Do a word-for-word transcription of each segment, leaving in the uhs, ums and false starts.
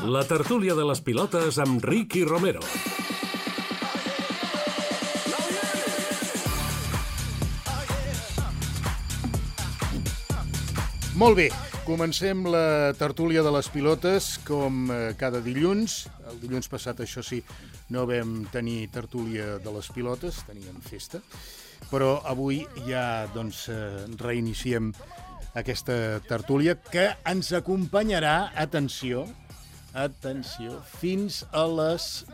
La tertúlia de les pilotes amb Ricky Romero. Molt bé, comencem la tertúlia de les pilotes com cada dilluns. El dilluns passat, això sí, no vam tenir tertúlia de les pilotes, teníem festa, però avui ja doncs, reiniciem aquesta tertúlia que ens acompanyarà, atenció, atenció, fins a les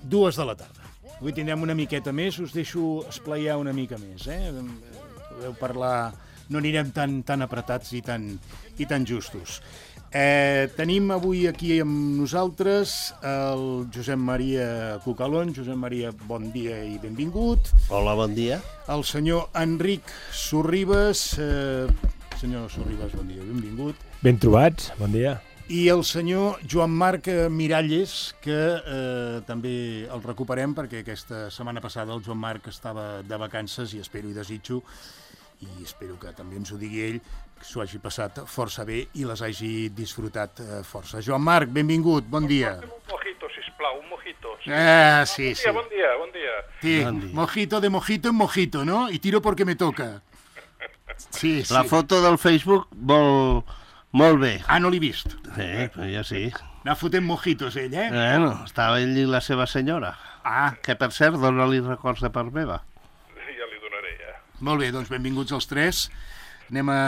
dues de la tarda. Avui tindrem una miqueta més, us deixo esplaiar una mica més, eh? Podeu parlar, no anirem tan, tan apretats i tan, i tan justos. Eh, tenim avui aquí amb nosaltres el Josep Maria Cucalón. Josep Maria, bon dia i benvingut. Hola, bon dia. El senyor Enric Sorribes. Eh, senyor Sorribes, bon dia, benvingut. Ben trobats, bon dia. I el senyor Joan Marc Miralles, que eh, també el recuperem perquè aquesta setmana passada el Joan Marc estava de vacances i espero i desitjo, i espero que també ens ho digui ell, que s'ho hagi passat força bé i les hagi disfrutat eh, força. Joan Marc, benvingut, bon dia. Un mojito, sisplau, un mojito. Sí. Ah, sí, sí. Bon dia, bon dia, bon dia. Sí, bon dia. Mojito de mojito en mojito, ¿no? Y tiro porque me toca. Sí, sí. La foto del Facebook vol... molt bé. Ah, no l'he vist. Sí, però ja sí. N'ha fotent mojitos, ell, eh? Bueno, estava ell i la seva senyora. Ah, Que, per cert, dona-li records de part meva. Ja li donaré, ja. molt bé, doncs benvinguts els tres. Anem a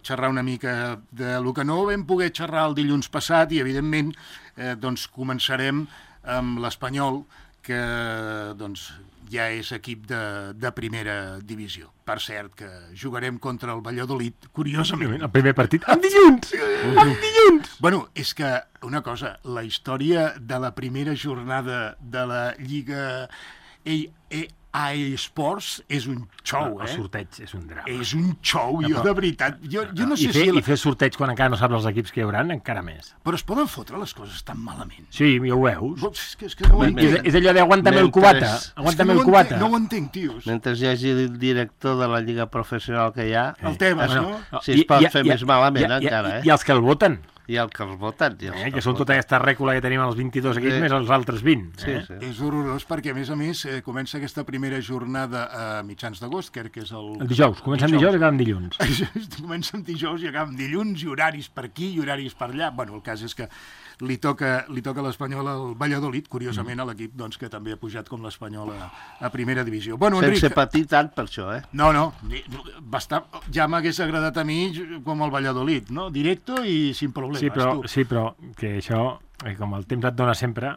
xerrar una mica de lo que no vam poder xerrar el dilluns passat i, evidentment, eh, doncs començarem amb l'Espanyol, que doncs, ja és equip de, de primera divisió. Per cert, que jugarem contra el Valladolid, curiosament. El primer partit, en dilluns! En dilluns! Bueno, és que, una cosa, la història de la primera jornada de la Lliga A E Sports és un xou, El eh? sorteig és un drama. És un xou, jo, però- de veritat. Jo, jo no I sé fer, si... I fer sorteig quan encara no saps els equips que hi haurà, encara més. Però es poden fotre les coses tan malament. Sí, ja ho veus. És que, és que no ho Ben, entenc. ben. És, és allò de aguanta'm el Mentre- cubata. és que Aguanta'm no el ho entenc, cubata. no ho entenc, tios. Mentre hi hagi el director de la lliga professional que hi ha, El Tebas, Bueno, no? si es pot fer més malament, encara, eh? I els que el voten, i el que els voten. I els eh? que que els són tota voten. aquesta rècula que tenim als vint-i-dos equips Sí. més els altres vint. Sí, Eh? sí. És horrorós perquè, a més a més, eh, comença aquesta primera jornada a mitjans d'agost, crec que és el... El dijous, comencem dijous i acabem dilluns. Comença amb dijous i acaba amb dilluns, i horaris per aquí i horaris per allà. Bueno, el cas és que li toca, li toca l'Espanyol al Valladolid, curiosament, a l'equip doncs, que també ha pujat com l'Espanyol a, a primera divisió. Bueno, Enric... Sense patir tant per això, eh? No, no, ni- bastant, ja m'hagués agradat a mi com el Valladolid, no? Directo i sin problemes. Sí, però, tu. sí, però que això, eh, com el temps et dona sempre,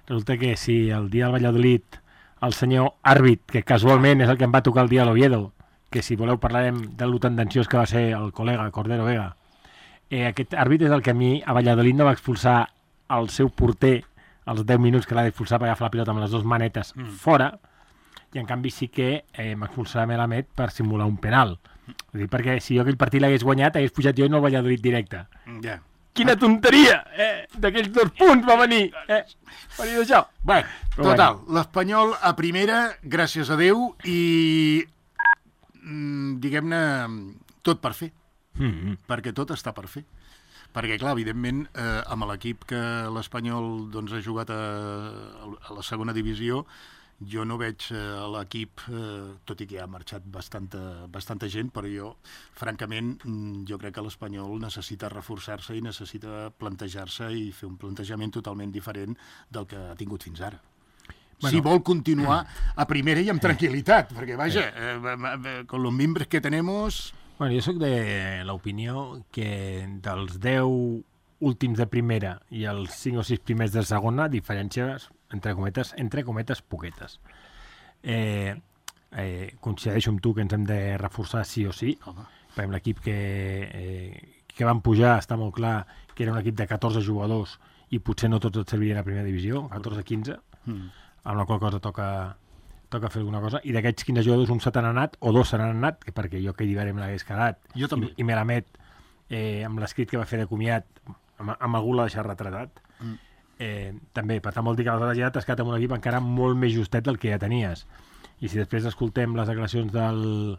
resulta que si el dia del Valladolid el senyor àrbit, que casualment és el que em va tocar el dia a l'Oviedo, que si voleu parlarem de lo tendenciós que va ser el col·lega Cordero Vega, eh, aquest àrbit és el que a mi a Valladolid no va expulsar el seu porter als deu minuts que l'ha d'expulsar per agafar la pilota amb les dues manetes mm. fora, i en canvi sí que eh, m'expulsarà Melamed per simular un penal. Vull dir, perquè si jo aquell partit l'hagués guanyat, hagués pujat jo i no el Valladolid directe. Ja. Quina tonteria, eh? D'aquells dos punts va venir, eh? Va venir d'això. Bé, Però total, l'Espanyol a primera, gràcies a Déu, i mm, diguem-ne, tot per fer, Mm-hmm. perquè tot està per fer. Perquè, clar, evidentment, eh, amb l'equip que l'Espanyol doncs, ha jugat a, a la segona divisió, jo no veig eh, l'equip, eh, tot i que ha marxat bastanta, bastanta gent, però jo, francament, mm, jo crec que l'Espanyol necessita reforçar-se i necessita plantejar-se i fer un plantejament totalment diferent del que ha tingut fins ara. Bueno, si vol continuar a primera i amb tranquil·litat, perquè, vaja, eh, con los mimbres que tenemos... Bueno, jo sóc de l'opinió que dels deu últims de primera i els cinc o sis primers de segona, diferències, entre cometes, entre cometes poquetes. Eh, eh, coincideixo amb tu que ens hem de reforçar sí o sí. Home. Per exemple, l'equip que, eh, que van pujar està molt clar que era un equip de catorze jugadors i potser no tots et servirien a primera divisió, catorze quinze, Mm. amb la qual cosa toca... toca fer alguna cosa, i d'aquests quinze jugadors un se n'han anat, o dos se n'han anat, que perquè jo aquell d'hivern me l'hagués quedat, Jo també. i, i Melamed, eh, amb l'escrit que va fer de comiat, amb, amb algú l'ha deixat retratat, Mm. eh, també, per tant vol dir que aleshores ja t'has quedat amb un equip encara molt més justet del que ja tenies. I si després escoltem les declaracions del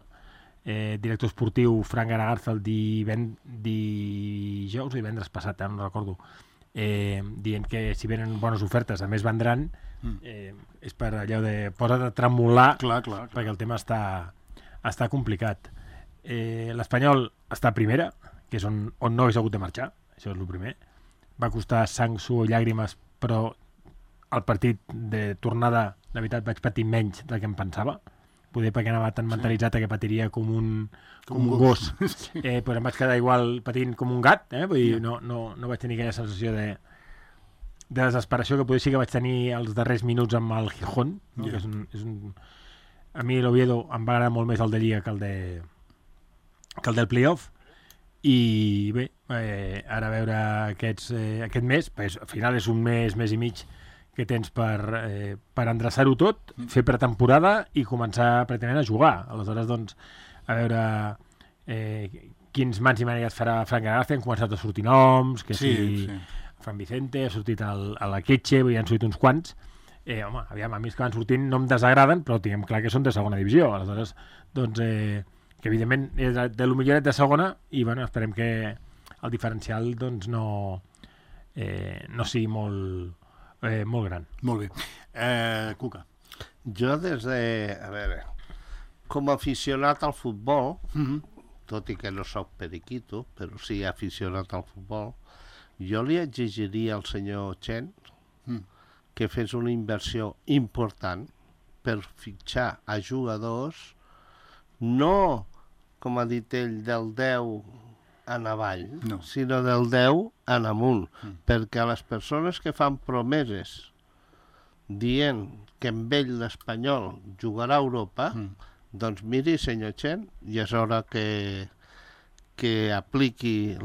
eh, director esportiu Frank Garagarza el diven, dijous o divendres passat, eh, no recordo, eh, dient que si venen bones ofertes, a més vendran, eh, és per allò de posa't a tremolar, Clar, clar, clar. perquè el tema està, està complicat. Eh, L'Espanyol està a primera, que és on, on no hagués hagut de marxar, això és el primer. Va costar sang, suor i llàgrimes, però el partit de tornada, de veritat, vaig patir menys del que em pensava. Poder perquè anava tan mentalitzat que patiria com un, com Com un un gos. gos, eh, però em vaig quedar igual patint com un gat, eh? Vull dir, no, no, no vaig tenir aquella sensació de, de desesperació que potser sí que vaig tenir els darrers minuts amb el Gijón, no? Yeah. Que és un, és un... A mi l'Oviedo em va agradar molt més el de Lliga que el, de... que el del playoff, i bé, eh, ara a veure aquests, eh, aquest mes, pues, al final és un mes, mes i mig que tens per, eh, per endreçar-ho tot, fer pretemporada i començar pràcticament a jugar. Aleshores, doncs, a veure eh, quins mans i maneres farà Frank García. Han començat a sortir noms, que Sí, si sí. Fran Vicente, ha sortit el, a la Quetxe, hi han sortit uns quants. Eh, home, aviam, a mi els que van sortint no em desagraden, però tinguem clar que són de segona divisió. Aleshores, doncs, eh, que evidentment és de, de lo milloret de segona, i bueno, esperem que el diferencial doncs, no, eh, no sigui molt, eh, molt gran. Molt bé. Eh, Cuca. Jo des de... A veure, com a aficionat al futbol, Mm-hmm. tot i que no sóc periquito, però sí aficionat al futbol, jo li exigiria al senyor Chen Mm. que fes una inversió important per fitxar a jugadors, no, com ha dit ell, del deu en avall, No. sinó del deu en amunt, Mm. perquè les persones que fan promeses dient que amb ell l'Espanyol jugarà a Europa, Mm. doncs miri, senyor Chen, ja és hora que, que apliqui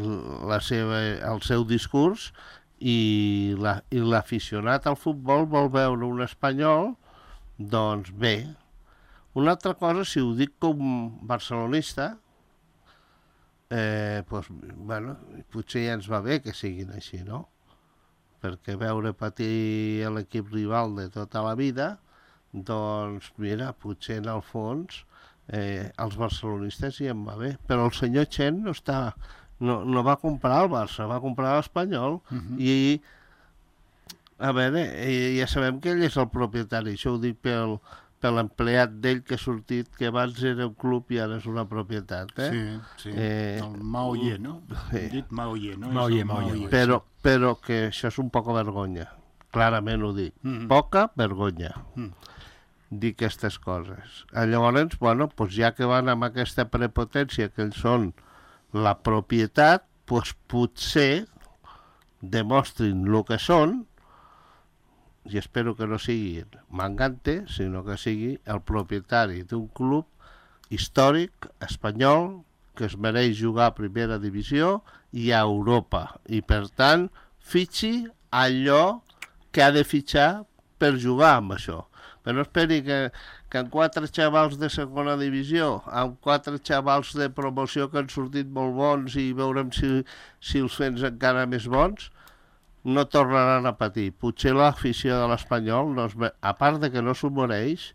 la seva, el seu discurs, i la, i l'aficionat al futbol vol veure un espanyol, doncs bé. Una altra cosa, si ho dic com barcelonista, eh, doncs, bueno, potser ja ens va bé que siguin així, no? Perquè veure patir l'equip rival de tota la vida, doncs, mira, potser en el fons eh, els barcelonistes hi em va bé. Però el senyor Chen no està... No, no va comprar el Barça, va comprar l'Espanyol, Mhm. i a veure, eh, ja sabem que ell és el propietari, això ho dic pel, per l'empleat d'ell que ha sortit, que abans era un club i ara és una propietat, eh? Sí, sí. Eh, el Mao Ye, no? sí. Hem dit Mao Ye, no? Mao És el Ye, Mao Ye. Però, però que això és un poca vergonya, clarament ho dic, Mhm. poca vergonya, Mm. dir aquestes coses. Eh, Llavors, bueno, doncs ja que van amb aquesta prepotència que ells són la propietat, doncs potser demostrin el que són, i espero que no sigui Mangante, sinó que sigui el propietari d'un club històric espanyol que es mereix jugar a primera divisió i a Europa, i per tant fitxi allò que ha de fitxar per jugar amb això. Però no esperi que, que amb quatre xavals de segona divisió, amb quatre xavals de promoció que han sortit molt bons i veurem si, si els fens encara més bons, no tornaran a patir. Potser l'afició de l'Espanyol, no es, a part de que no s'ho mereix,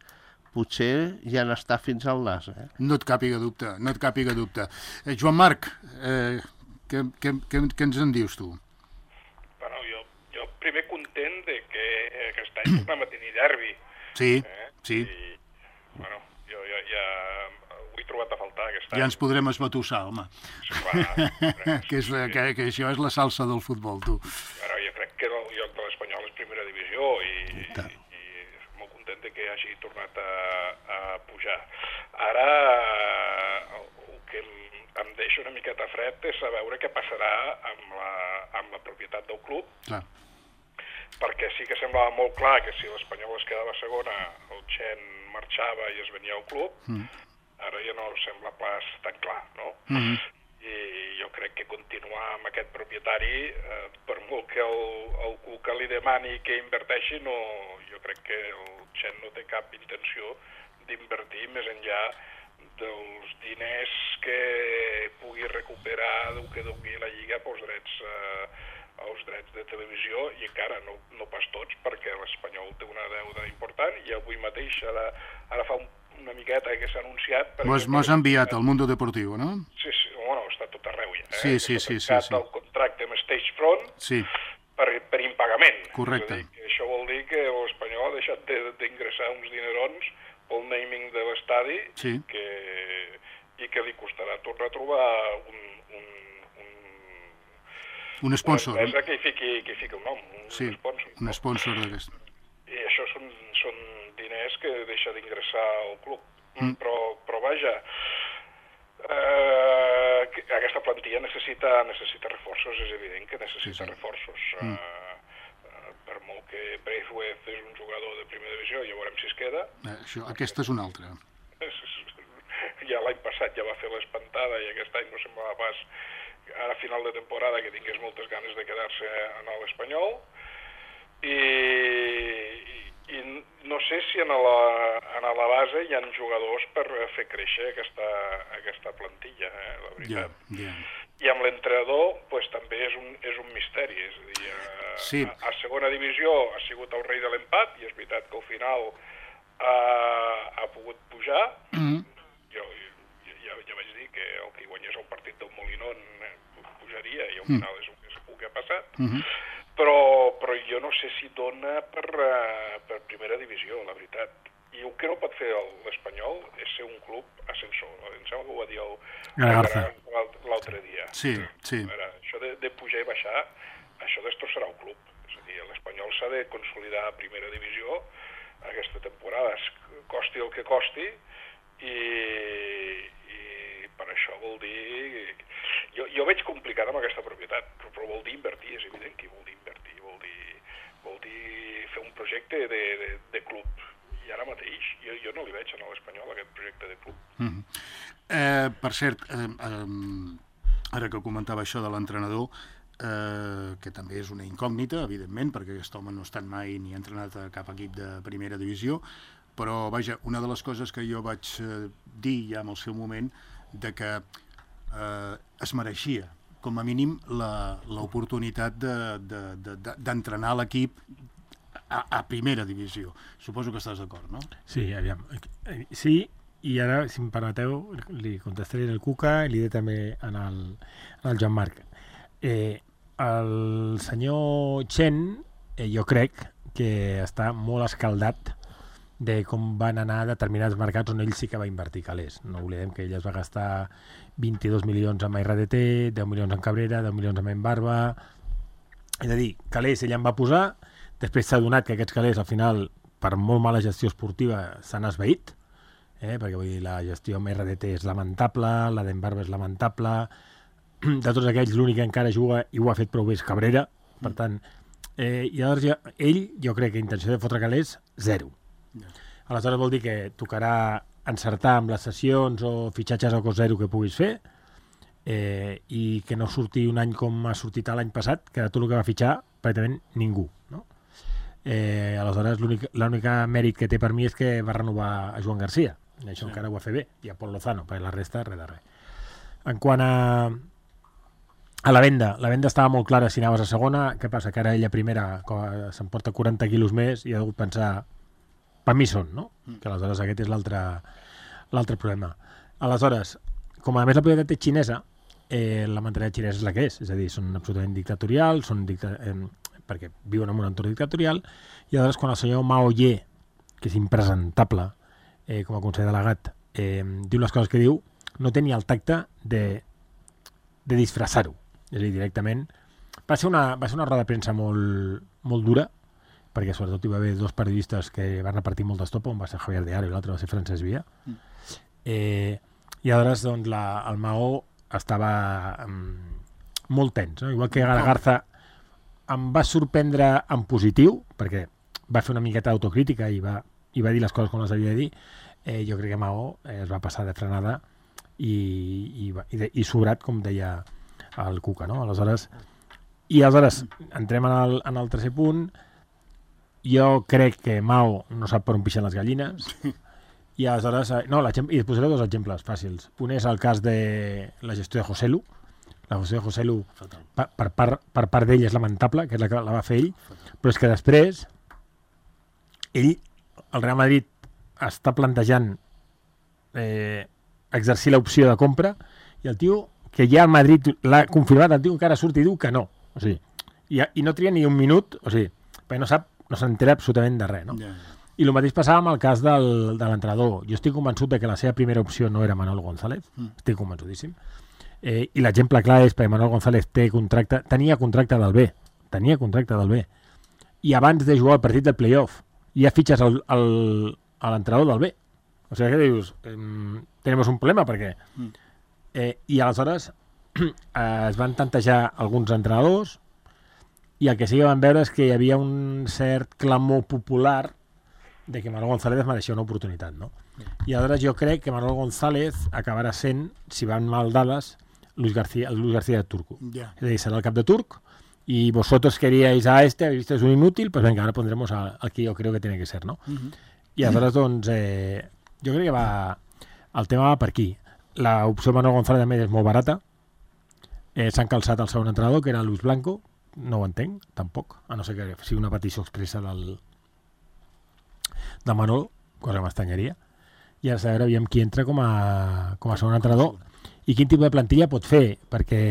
potser ja n'està fins al nas. Eh? No et càpiga dubte, no et càpiga dubte. Eh, Joan Marc, eh, què, què, què, què ens en dius tu? Bueno, jo, jo primer content de que aquest any tornem a tenir derbi. Sí, Eh? sí. I, bueno, jo ja, ja ho he trobat a faltar aquest any. Ja ens podrem esbatussar, home. Clar, que, és la, que, que això és la salsa del futbol, tu. Bueno, jo crec que el lloc de l'Espanyol és primera divisió i, i, i molt content de que hagi tornat a, a pujar. Ara el, el que em deixa una miqueta fred és a veure què passarà amb la, amb la propietat del club, Clar. perquè sí que semblava molt clar que si l'Espanyol es quedava segona, el Chen marxava i es venia al club, Mm. ara ja no sembla pas tan clar, no? Mm-hmm. I jo crec que continuar amb aquest propietari, eh, per molt que el, el Cuca li demani que inverteixi, no, jo crec que el Chen no té cap intenció d'invertir més enllà dels diners que pugui recuperar del que doni la Lliga pels drets, eh, els drets de televisió, i encara no, no pas tots, perquè l'Espanyol té una deuda important, i avui mateix, ara, ara fa un, una miqueta que s'ha anunciat... per Mos, exemple, mos ha enviat al Mundo Deportivo, no? Sí, sí, bueno, està tot arreu ja. Eh? Sí, sí, S'ha sí, sí, tancat sí. el contracte amb Stagefront Sí. per Correcte. Dir, això vol dir que l'Espanyol ha deixat d'ingressar uns dinerons pel naming de l'estadi sí. que, i que li costarà tornar a trobar un, un, un, un sponsor. Una empresa que hi fiqui, que hi fiqui un nom, un, sí, un sponsor. Un sponsor d'aquest. I això són, són diners que deixa d'ingressar al club. Mm. Però, però vaja, eh, aquesta plantilla necessita, necessita reforços, és evident que necessita sí, sí. reforços. Mm. Eh, per molt que Braithwaite és un jugador de primera divisió, ja veurem si es queda. Eh, això, aquesta és una altra. Ja l'any passat ja va fer l'espantada i aquest any no semblava pas, ara a final de temporada, que tingués moltes ganes de quedar-se en l'Espanyol. I, i, i no sé si en la, en la base hi ha jugadors per fer créixer aquesta, aquesta plantilla, eh, la veritat. Yeah, yeah. I amb l'entrenador pues, també és un, és un misteri. És a dir, a, sí. a, a segona divisió ha sigut el rei de l'empat i és veritat que al final uh, ha pogut pujar. Mm-hmm. Jo ja, ja vaig dir que el que guanyés el partit del Molinón pujaria i al final mm. és el que, el que ha passat. Mm-hmm. Però, però jo no sé si dona per, uh, per primera divisió, la veritat. I el que no pot fer l'Espanyol és ser un club ascensor. Em sembla que ho va dir l'altre dia. Sí, sí. Ara, això de, de pujar i baixar, això destrossarà el club. És a dir, l'Espanyol s'ha de consolidar a primera divisió aquesta temporada, costi el que costi, i, i per això vol dir... Jo, jo veig complicat amb aquesta propietat, però vol dir invertir, és evident que vol dir invertir, vol dir, vol dir fer un projecte de, de, de club. I ara mateix jo, jo no li veig a l'Espanyol aquest projecte de club. Mm-hmm. eh, per cert, eh, eh, ara que comentava això de l'entrenador, eh, que també és una incògnita, evidentment, perquè aquest home no ha estat mai ni entrenat a cap equip de primera divisió, però, vaja, una de les coses que jo vaig eh, dir ja en el seu moment, de que eh, es mereixia, com a mínim, l'oportunitat d'entrenar de, de, de, l'equip a, a primera divisió. Suposo que estàs d'acord, no? Sí, aviam. Sí, i ara, si em permeteu, li contestaré el Cuca i li diré també en el, en el Joan Marc. Eh, el senyor Chen, eh, jo crec que està molt escaldat de com van anar determinats mercats on ell sí que va invertir calés. No oblidem que ell es va gastar vint-i-dos milions amb R D T, deu milions en Cabrera, deu milions amb Barba. És a dir, calés ell en va posar, després s'ha donat que aquests calés al final, per molt mala gestió esportiva, s'han esvaït, eh? perquè vull dir, la gestió amb R D T és lamentable, la d'Embarba és lamentable, de tots aquells l'únic que encara juga i ho ha fet prou bé és Cabrera, per tant, eh, i llavors ja, ell, jo crec que intenció de fotre calés, zero. Aleshores vol dir que tocarà encertar amb les sessions o fitxatges a cost zero que puguis fer, eh, i que no surti un any com ha sortit l'any passat, que de tot el que va fitxar pràcticament ningú, no? Eh, aleshores l'únic mèrit que té per mi és que va renovar a Joan Garcia, i això sí. encara ho va fer bé, i a Pol Lozano, perquè la resta res de res. En quant a a la venda, la venda estava molt clara si anaves a segona. Què passa? Que ara ella primera s'emporta quaranta quilos més i ha hagut pensar per mi són, no? Mm. Que aleshores aquest és l'altre l'altre problema. Aleshores, com a més la propietat és xinesa, eh, la mentalitat xinesa és la que és, és a dir, són absolutament dictatorials, són dicta eh, perquè viuen en un entorn dictatorial, i aleshores quan el senyor Mao Ye, que és impresentable eh, com a conseller delegat, eh, diu les coses que diu, no té ni el tacte de, de disfressar-ho. És a dir, directament... Va ser una, va ser una roda de premsa molt, molt dura, perquè sobretot hi va haver dos periodistes que van repartir molt d'estopa, un va ser Javier de Aro i l'altre va ser Francesc Via. Mm. Eh, I aleshores doncs, la, el Maó estava um, molt tens, no? Igual que Garza em va sorprendre en positiu, perquè va fer una miqueta d'autocrítica i va, i va dir les coses com les havia de dir. Eh, jo crec que Maó eh, es va passar de frenada i, i, i, de, i sobrat, com deia el Cuca, no? Aleshores, i aleshores entrem en el, en el tercer punt. Jo crec que Mao no sap per on pixen les gallines i aleshores... No, i et posaré dos exemples fàcils. Un és el cas de la gestió de Joselu. La gestió de Joselu per, per, part, per part d'ell és lamentable, que és la que la va fer ell, però és que després ell, el Real Madrid, està plantejant eh, exercir l'opció de compra i el tio, que ja el Madrid l'ha confirmat, el tio encara surt i diu que no. O sigui, i, i no tria ni un minut, o sigui, perquè no sap, no s'entera absolutament de res, no? Ja, ja. I el mateix passava amb el cas del, de l'entrenador. Jo estic convençut de que la seva primera opció no era Manuel González, mm. estic convençudíssim. Eh, I l'exemple clar és perquè Manuel González té contracte, tenia contracte del B, tenia contracte del B, i abans de jugar el partit del playoff ja fitxes el, el, a l'entrenador del B. O sigui que dius, eh, tenim un problema perquè... Mm. Eh, I aleshores eh, es van tantejar alguns entrenadors i el que sí que van veure és que hi havia un cert clamor popular de que Manuel González mereixia una oportunitat, no? I aleshores jo crec que Manuel González acabarà sent, si van mal dades, Luis García, Luis García de Turco. Yeah. Es decir, será el cap de Turc y vosotros queríais a este, habéis visto es un inútil, pues venga, ahora pondremos a- al que yo creo que tiene que ser, no? Mhm. I aleshores, doncs, eh, jo crec que va... El tema va per aquí. L'opció Manuel González també és molt barata. Eh, S'han calçat el segon entrenador, que era Luis Blanco. No ho entenc, tampoc. A no ser que sigui una petició expressa del, de Manolo, cosa que m'estanyaria. I ara saber aviam qui entra com a, com a segon entrenador i quin tipus de plantilla pot fer, perquè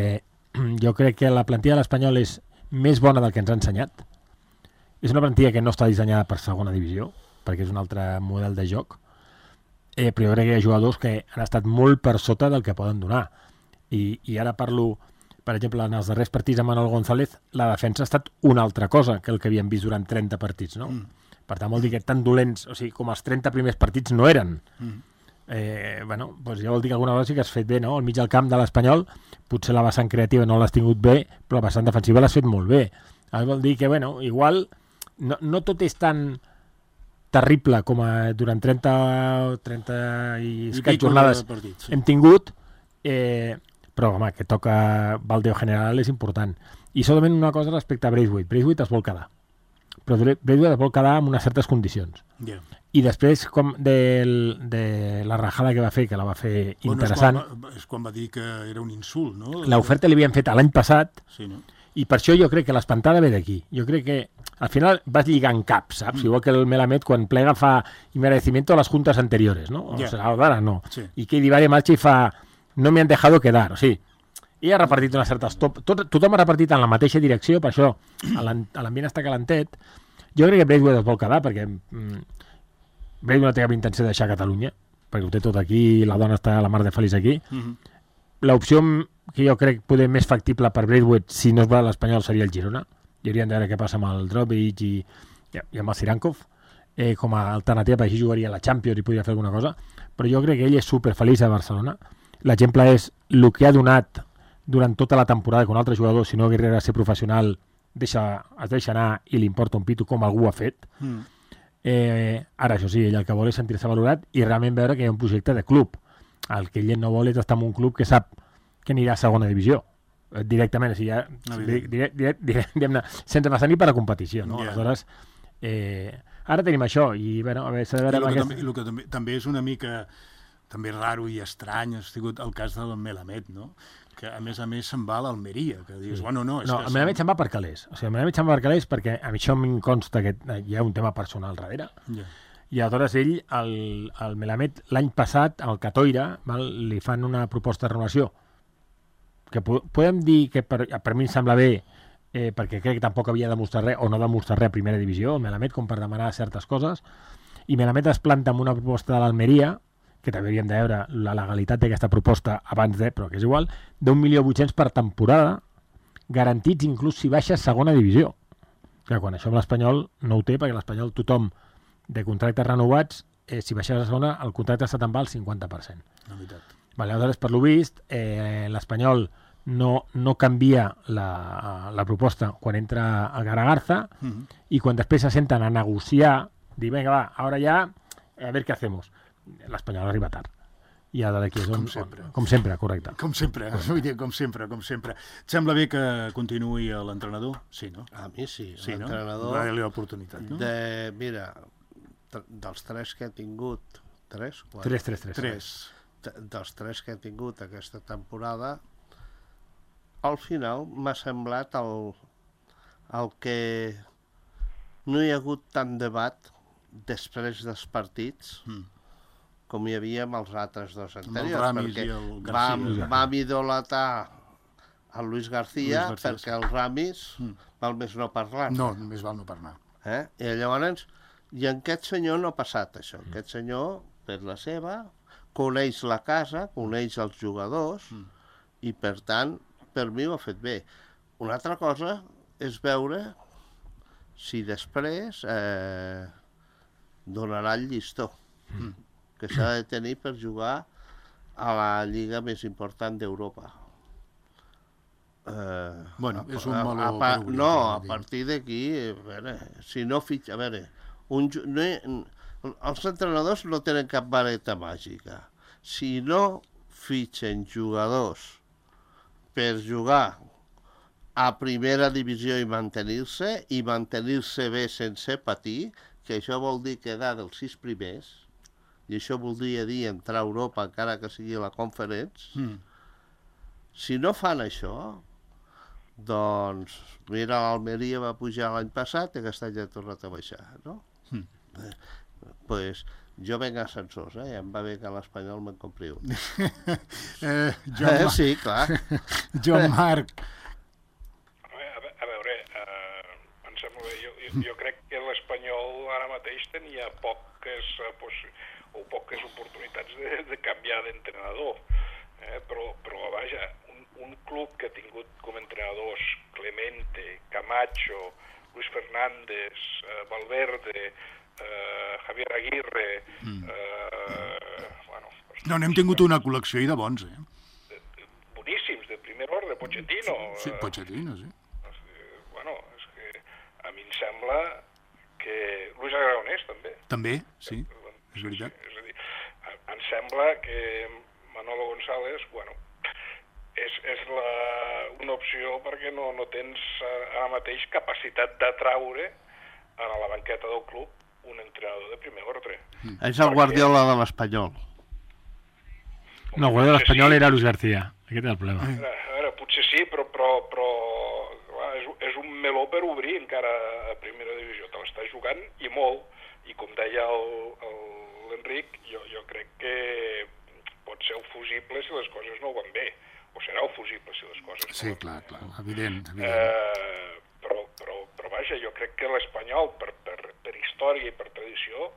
jo crec que la plantilla de l'Espanyol és més bona del que ens ha ensenyat. És una plantilla que no està dissenyada per segona divisió, perquè és un altre model de joc, eh, però jo crec que hi ha jugadors que han estat molt per sota del que poden donar. I, i ara parlo, per exemple, en els darrers partits amb Manuel González, la defensa ha estat una altra cosa que el que havíem vist durant trenta partits, no? Mm. Per tant, vol dir que tan dolents, o sigui, com els trenta primers partits no eren. Mm. Eh, bueno, doncs ja vol dir que alguna cosa sí que has fet bé, no? Al mig del camp de l'Espanyol, potser la vessant creativa no l'has tingut bé, però la vessant defensiva l'has fet molt bé. Ara vol dir que, bueno, igual no, no tot és tan terrible com a, durant trenta, trenta i escaig jornades partit, sí. hem tingut, eh, però, home, que toca baldeo general és important. I solament una cosa respecte a Braithwaite. Braithwaite es vol quedar. Però Braithwaite es vol quedar amb unes certes condicions. Yeah. I després com de, de la rajada que va fer, que la va fer interessant, Bueno, és, quan va, és quan va dir que era un insult, no? l'oferta li havien fet l'any passat, Sí, no? i per això jo crec que l'espantada ve d'aquí. Jo crec que al final vas lligant caps, saps? Mm. Igual que el Melamed quan plega fa inmerecimiento a les juntes anteriores, no? O Yeah. sea, ahora no. Sí. I que Divari marxa i fa no me han dejado quedar, o sigui, i ha repartit unes certes... Top, tot, tothom ha repartit en la mateixa direcció, per això l'ambient està calentet. Jo crec que Braithwaite es vol quedar, perquè mm, Braithwaite no té cap intenció de deixar Catalunya, perquè ho té tot aquí, la dona està a la mar de feliç aquí. Mhm. L'opció que jo crec poder més factible per Braithwaite, si no es va a l'Espanyol, seria el Girona. I hauríem de veure què passa amb el Drobic i, i amb el Sirankov. Eh, com a alternativa, perquè així jugaria a la Champions i podria fer alguna cosa. Però jo crec que ell és superfeliç a Barcelona. L'exemple és el que ha donat durant tota la temporada que un altre jugador, si no hagués ser professional, deixa, es deixa anar i li importa un pito com algú ha fet. Mm. Eh, ara, això sí, ell el que vol és sentir-se valorat i realment veure que hi ha un projecte de club. El que ell no vol és estar en un club que sap que anirà a segona divisió. Eh, directament, o sigui, ja, Evident. direct, direct, direct, diguem-ne, sense passar ni per a competició. No? Ja. Aleshores, eh, ara tenim això i, bueno, a veure, s'ha de I veure... el amb que, aquest... també, el que també, també és una mica també raro i estrany ha sigut el cas del Melamed, no? Que a més a més se'n va a l'Almeria, que dius, Sí. bueno, no, és No, que el Melamed se'n va per calés. O sigui, el Melamed se'n va per calés perquè a mi això em consta que hi ha un tema personal darrere. Ja. I aleshores ell, el, el Melamed, l'any passat, al Catoira, val, li fan una proposta de renovació que po podem dir que per, per mi em sembla bé, eh, perquè crec que tampoc havia demostrat res, o no demostrat res a primera divisió, el Melamed, com per demanar certes coses, i Melamed es planta amb una proposta de l'Almeria, que també hauríem de veure la legalitat d'aquesta proposta abans de, però que és igual, d'un milió vuit-cents per temporada, garantits inclús si baixa a segona divisió. Que quan això amb l'Espanyol no ho té, perquè l'Espanyol tothom de contractes renovats, eh, si baixes a segona, el contracte se te'n va al cinquanta per cent. La veritat. Vale, aleshores, per lo vist, eh, l'Espanyol no, no canvia la, la proposta quan entra a Garagarza Mhm. i quan després se senten a negociar, dir, vinga, va, ara ja, a veure què hacemos. L'Espanyol arriba tard. I ara d'aquí és on... Com sempre. Com sempre, correcte. Com sempre, vull dir, com sempre, com sempre. Et sembla bé que continuï l'entrenador? Sí, no? A mi sí, Sí, no? l'entrenador... Va-li l'oportunitat, no? De, mira, tr- dels tres que he tingut, tres? Quatre? tres tres tres. Tres. T- dels tres que he tingut aquesta temporada, al final m'ha semblat el, el que no hi ha hagut tant debat després dels partits Mm. com hi havia amb els altres dos el anteriors, Ramis perquè i el García. vam, vam idolatrar el Luis García, Luis García, perquè el Ramis Mm. val més no parlar. No, només val no parlar. Eh? I llavors, i en aquest senyor no ha passat això. Mm. Aquest senyor, per la seva, coneix la casa, coneix els jugadors, mm. i per tant, per mi ho ha fet bé. Una altra cosa és veure si després eh, donarà el llistó mm. que s'ha de tenir per jugar a la lliga més important d'Europa. Eh, bueno, és un meló a, a, a, obrir, no, a partir d'aquí, a veure, si no fitxa, a veure, un, no, els entrenadors no tenen cap vareta màgica. Si no fitxen jugadors per jugar a primera divisió i mantenir-se, i mantenir-se bé sense patir, que això vol dir quedar dels sis primers, i això voldria dir entrar a Europa encara que sigui la Conference, mm. si no fan això, doncs, mira, l'Almeria va pujar l'any passat i aquest any ha tornat a baixar, no? Mm. Eh, pues, jo venc a ascensors, eh? I em va bé que a l'Espanyol me'n compri un. eh, Joan eh, sí, clar. Joan Marc. A veure, eh, em sembla bé, jo, jo, jo crec que l'Espanyol ara mateix tenia poques, o poques oportunitats de, de canviar d'entrenador, eh? però, però vaja, un, un club que ha tingut com entrenadors Clemente, Camacho, Luis Fernández, eh, Valverde, eh, Javier Aguirre... Mm. Eh, bueno, pues, no, n'hem tingut una col·lecció i de bons, eh? De, de, boníssims, de primer ordre, Pochettino. Sí, sí, Pochettino, sí. Eh, bueno, és que a mi em sembla que... Luis Aragonès, també. També, sí, és veritat. Sí, és a dir, em sembla que Manolo González, bueno, és, és la, una opció perquè no, no tens ara mateix capacitat d'atraure a la banqueta del club un entrenador de primer ordre. Mm. És el Guardiola de l'Espanyol. No, el Guardiola de l'Espanyol sí. Era Luis García. Aquest és el problema. A veure, a veure, potser sí, però, però, però clar, és, és un meló per obrir encara a primera divisió. Te l'estàs jugant i molt. I com deia l'Enric, jo, jo crec que pot ser fusible si les coses no van bé. O serà fusible si les coses no sí, van clar, bé. Clar, evident. evident. Eh, però, però, però vaja, jo crec que l'Espanyol, per, per, per història i per tradició,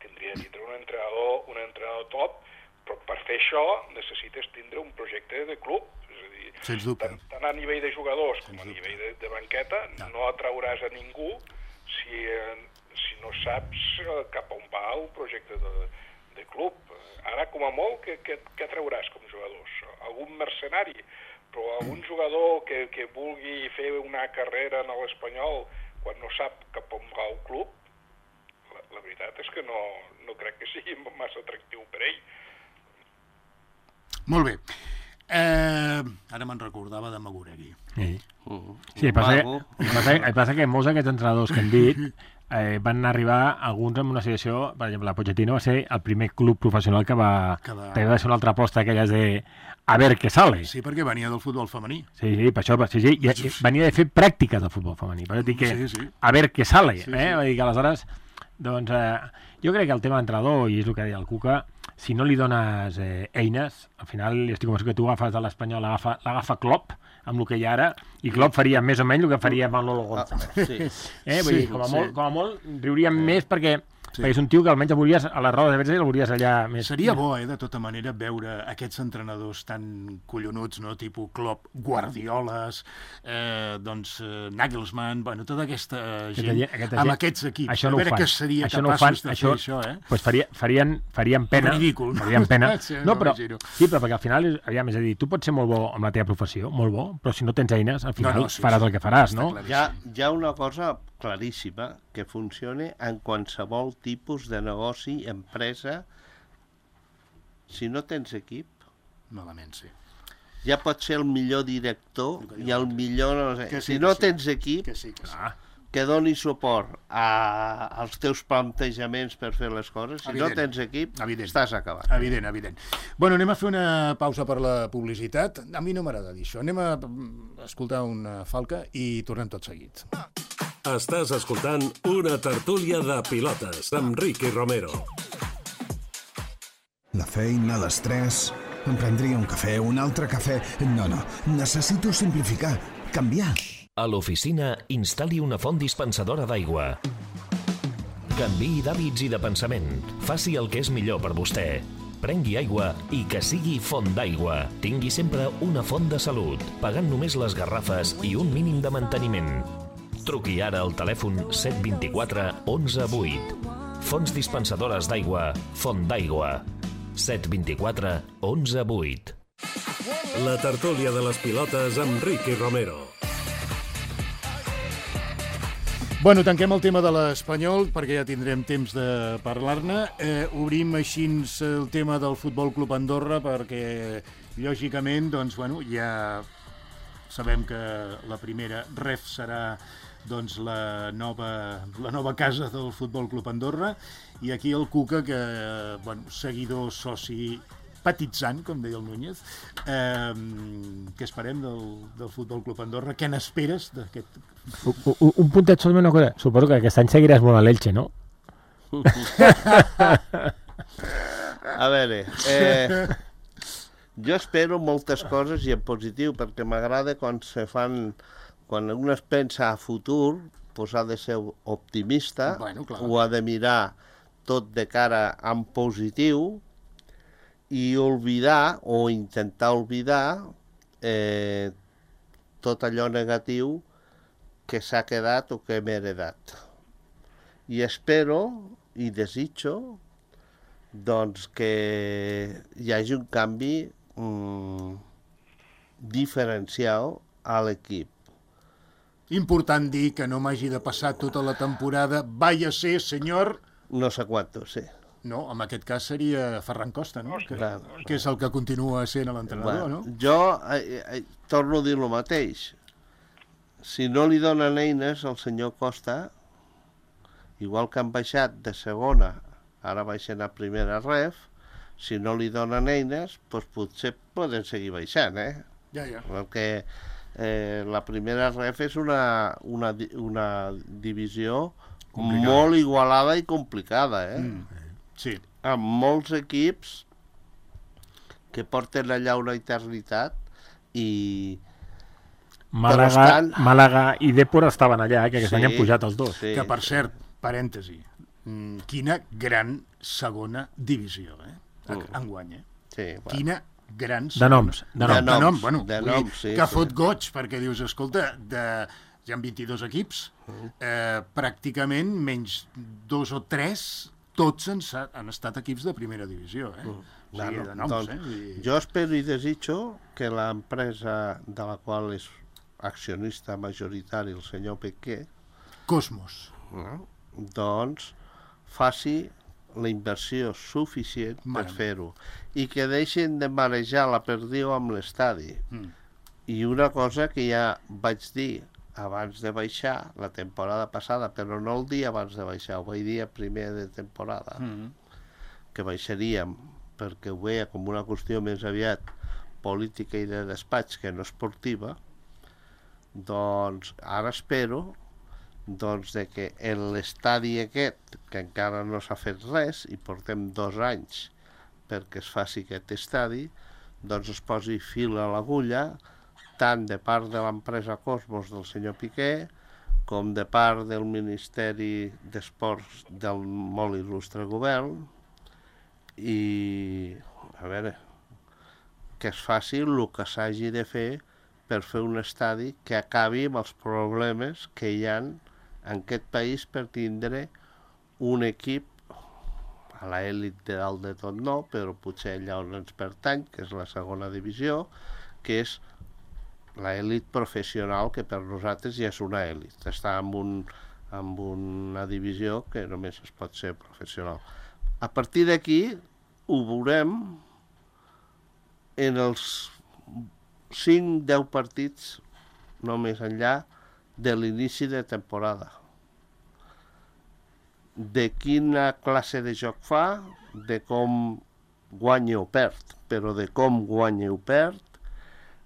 tindria de tindre un entrenador, un entrenador top, però per fer això necessites tindre un projecte de club. És a dir, sens dubte. Tant, tant a nivell de jugadors com a nivell de, de banqueta, no. no atrauràs a ningú si, si no saps cap on va el projecte de, de club. Ara, com a molt, què, què, què trauràs com jugadors? Algun mercenari, però algun jugador que, que vulgui fer una carrera en l'Espanyol quan no sap cap on va el club, la, la veritat és que no, no crec que sigui massa atractiu per ell. Molt bé. Eh, ara me'n recordava de Maguregui. Sí, sí el, passa que, el, passa, el passa que molts d'aquests entrenadors que hem dit eh, van arribar alguns en una situació, per exemple, la Pochettino va ser el primer club professional que va, que va... va ser una altra aposta aquelles de a ver què sale. Sí, perquè venia del futbol femení. Sí, sí, per això, sí, sí, i, i venia de fer pràctiques del futbol femení, per dir que sí, sí. a ver què sale, sí, eh? Sí. Vull dir que aleshores, doncs, eh, jo crec que el tema d'entrenador, i és el que deia el Cuca, si no li dones eh, eines, al final, estic convençut que tu agafes de l'Espanyol, l'agafa Klopp, amb el que hi ha ara, i Klopp faria més o menys el que faria Manolo González. Ah, sí. Eh? Vull sí, dir, com a, sí. molt, com a molt riuríem sí. més perquè, sí. perquè és un tio que almenys el veuries a les rodes de premsa i el veuries allà més... Seria bo, eh, de tota manera, veure aquests entrenadors tan collonuts, no?, tipus Klopp, Guardioles, eh, doncs eh, Nagelsmann, bueno, tota aquesta gent, aquesta, aquesta amb gent, aquests equips. Això no a veure fan. què seria això capaços no fan, de això, fer això, eh? Pues faria, farien, farien pena. Ridícul. Farien pena. Sí, no, però, sí, però perquè al final, aviam, és a dir, tu pots ser molt bo amb la teva professió, molt bo, però si no tens eines, al final no, no, sí, faràs sí. el que faràs, no? Hi ha, hi ha una cosa claríssima que funciona en qualsevol tipus de negoci, empresa. Si no tens equip, malament, sí. Ja pot ser el millor director i el millor... No sé. Sí, si no sí. tens equip, que, sí, que, sí. Ah, que doni suport a, als teus plantejaments per fer les coses, si evident. No tens equip, evident. Estàs acabat. Evident, evident. Bueno, anem a fer una pausa per la publicitat. A mi no m'agrada dir això. Anem a escoltar una falca i tornem tot seguit. Estàs escoltant una tertúlia de pilotes amb Ricky Romero. La feina, l'estrès... Em prendria un cafè, un altre cafè... No, no, necessito simplificar, canviar. A l'oficina, instal·li una font dispensadora d'aigua. Canviï d'hàbits i de pensament. Faci el que és millor per vostè. Prengui aigua i que sigui font d'aigua. Tingui sempre una font de salut, pagant només les garrafes i un mínim de manteniment. Truqui ara al telèfon set dos quatre onze vuit. Fonts dispensadores d'aigua, Font d'Aigua. set dos quatre onze vuit. La tertúlia de les pilotes amb Ricky Romero. Bueno, tanquem el tema de l'Espanyol, perquè ja tindrem temps de parlar-ne. Eh, obrim així el tema del Futbol Club Andorra, perquè, lògicament, doncs, bueno, ja sabem que la primera ref serà doncs, la, nova, la nova casa del Futbol Club Andorra, i aquí el Cuca, que, bueno, seguidor, soci, petitzant, com deia el Núñez. Eh, què esperem del, del Futbol Club Andorra? Què n'esperes d'aquest... Un, un puntet solament una cosa. Suposo que aquest any seguiràs molt a l'Elche, no? A veure, eh, jo espero moltes coses i en positiu, perquè m'agrada quan se fan, quan un es pensa a futur, doncs ha de ser optimista, bueno, ho ha de mirar tot de cara en positiu i oblidar o intentar oblidar eh, tot allò negatiu que s'ha quedat o que hem heredat. I espero i desitjo doncs, que hi hagi un canvi mm, diferencial a l'equip. Important dir que no m'hagi de passar tota la temporada vaya ser, senyor... No sé quanto, sí. No, en aquest cas seria Ferran Costa, no? Que, Clar. que és el que continua sent l'entrenador, Bueno, no? jo eh, eh, torno a dir el mateix. Si no li donen eines al senyor Costa, igual que han baixat de segona, ara baixen a primera ref, si no li donen eines, doncs potser poden seguir baixant, eh? Ja, ja. Perquè eh, la primera ref és una, una, una divisió complicada. Molt igualada i complicada, eh? Mm. Sí. Amb molts equips que porten allà una eternitat i... Màlaga, estan... Màlaga i Dèpor estaven allà, eh, que aquest Sí, any han pujat els dos. sí. Que, per cert, parèntesi, mm, quina gran segona divisió, eh? Mm. Enguany, eh? Sí, bueno. Quina gran De segona. noms, de De noms. De nom, noms, bueno, de vull dir noms, sí, que sí. fot goig, perquè dius, escolta, de, hi ha vint-i-dos equips, eh, pràcticament menys dos o tres, tots han, sa- han estat equips de primera divisió, eh? O sigui, Bueno, de noms, doncs, eh? Vull dir... Jo espero i desitjo que l'empresa de la qual és accionista majoritari el senyor Piqué, Cosmos. no? doncs faci la inversió suficient Mare per meva. fer-ho i que deixin de marejar la perdiu amb l'estadi. Mm. I una cosa que ja vaig dir abans de baixar la temporada passada, però no el dia abans de baixar, ho vaig dir a primer de temporada, Mm. que baixaríem perquè ho veia com una qüestió més aviat política i de despatx que no esportiva, doncs ara espero doncs, de que en l'estadi aquest, que encara no s'ha fet res, i portem dos anys perquè es faci aquest estadi, doncs es posi fil a l'agulla, tant de part de l'empresa Cosmos del senyor Piqué, com de part del Ministeri d'Esports del molt il·lustre govern, i a veure, que es faci el que s'hagi de fer per fer un estadi que acabi amb els problemes que hi ha en aquest país per tindre un equip a l'elit de dalt de tot no, però potser allà on ens pertany, que és la segona divisió, que és l'elit professional, que per nosaltres ja és una elit. Està en, un, en una divisió que només es pot ser professional. A partir d'aquí ho veurem en els cinc a deu partits, no més enllà, de l'inici de temporada. De quina classe de joc fa, de com guanya o perd, però de com guanya o perd,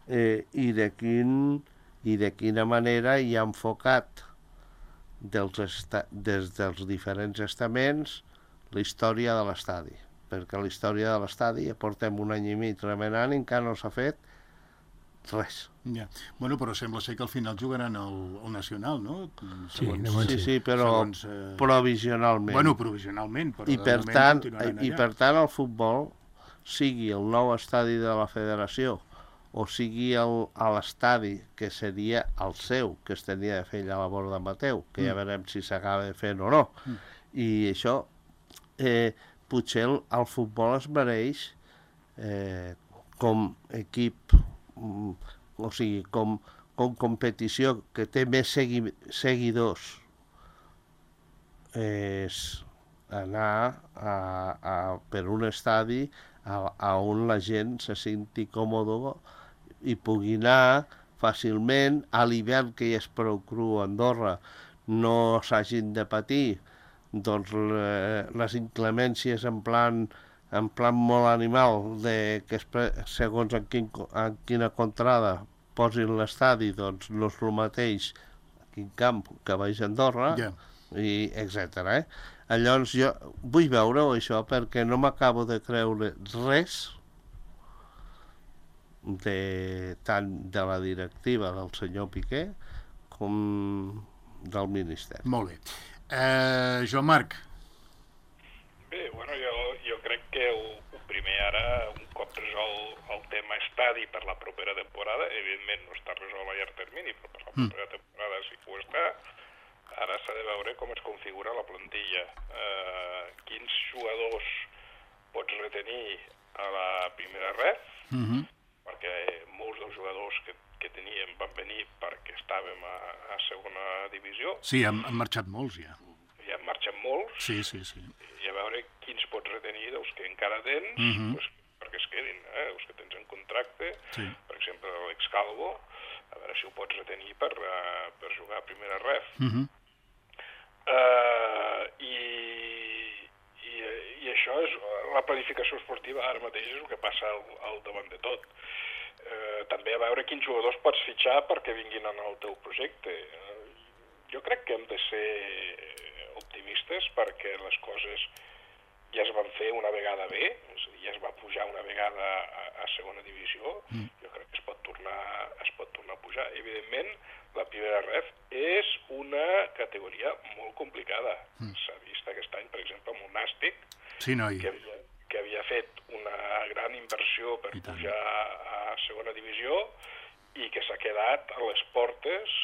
eh, i, de quin, i de quina manera hi ha enfocat dels esta, des dels diferents estaments la història de l'estadi. Perquè la història de l'estadi ja portem un any i mig remenant i encara no s'ha fet res. Ja. Bueno, però sembla ser que al final jugaran al, al Nacional, no? Sí, de moment Sí, sí, però segons, eh, provisionalment. Bueno, provisionalment, però I de per moment tant, continuaran i allà. per tant el futbol, sigui el nou estadi de la federació o sigui el, a l'estadi que seria el seu, que es tenia de fer allà a la Borda Mateu, que ja veurem si s'acaba de fer o no. Mm. I això, eh, potser el, el futbol es mereix eh, com equip, mm, o sigui, com, com competició que té més segui, seguidors, és anar a, a, per un estadi a, a on la gent se senti còmode i pugui anar fàcilment. A l'hivern, que ja és prou cru a Andorra, no s'hagin de patir doncs, le, les inclemències en plan, en plan molt animal, de que es, segons en, quin, en quina contrada posin l'estadi, doncs no és el mateix a quin camp que vaig a Andorra, Ja. i etcètera. Eh? Llavors jo vull veure-ho això perquè no m'acabo de creure res de, tant de la directiva del senyor Piqué com del Ministeri. Molt bé. Eh, Joan Marc. Bé, bueno, jo, jo crec que el, el primer ara, un cop resol el tema estadi per la propera temporada, evidentment no està resolt a llarg termini, però per la propera mm. temporada sí que ho està. Ara s'ha de veure com es configura la plantilla, eh, quins jugadors pots retenir a la primera ref, Mm-hmm. perquè molts dels jugadors que, que teníem van venir perquè estàvem a, a segona divisió. Sí, han, han marxat molts ja. Ja han marxat molts, Sí, sí, sí. i a veure quins pots retenir dels que encara tens, Mhm. pues, perquè es quedin, eh? Els que tens en contracte, Sí. per exemple l'Alex Calvo, a veure si ho pots retenir per, uh, per jugar a primera ref. Mm-hmm. Uh, i, i, i això és la planificació esportiva ara mateix és el que passa al, al davant de tot. Uh, també a veure quins jugadors pots fitxar perquè vinguin en el teu projecte. Uh, jo crec que hem de ser optimistes perquè les coses ja es van fer una vegada bé, és a dir, ja es va pujar una vegada a, a segona divisió, mm. jo crec que es pot tornar, es pot tornar a pujar. Evidentment, la primera ref és una categoria molt complicada. Mm. S'ha vist aquest any, per exemple, amb el Nàstic, Sí, noi. que havia, que havia fet una gran inversió per I tant. pujar a segona divisió i que s'ha quedat a les portes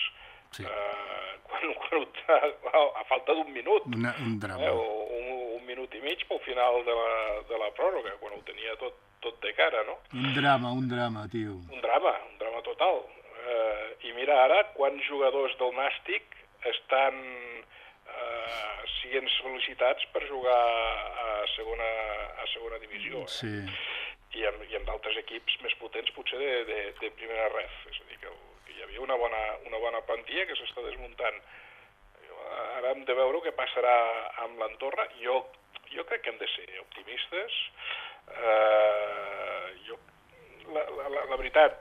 Sí. eh, quan, quan, a, a falta d'un minut. Una, un drama. Eh, o un, un minut i mig pel final de la, de la pròrroga, quan ho tenia tot, tot de cara, no? Un drama, un drama, tio. Un drama, un drama total. Eh, I mira ara quants jugadors del Nàstic estan eh, siguent sol·licitats per jugar a segona, a segona divisió. Eh? Sí. I amb, i amb d'altres equips més potents potser de, de, de primera ref. És a dir, que, que hi havia una bona, una bona plantilla que s'està desmuntant. Ara hem de veure què passarà amb l'Andorra. Jo, jo crec que hem de ser optimistes. Uh, jo, la, la, la, la veritat,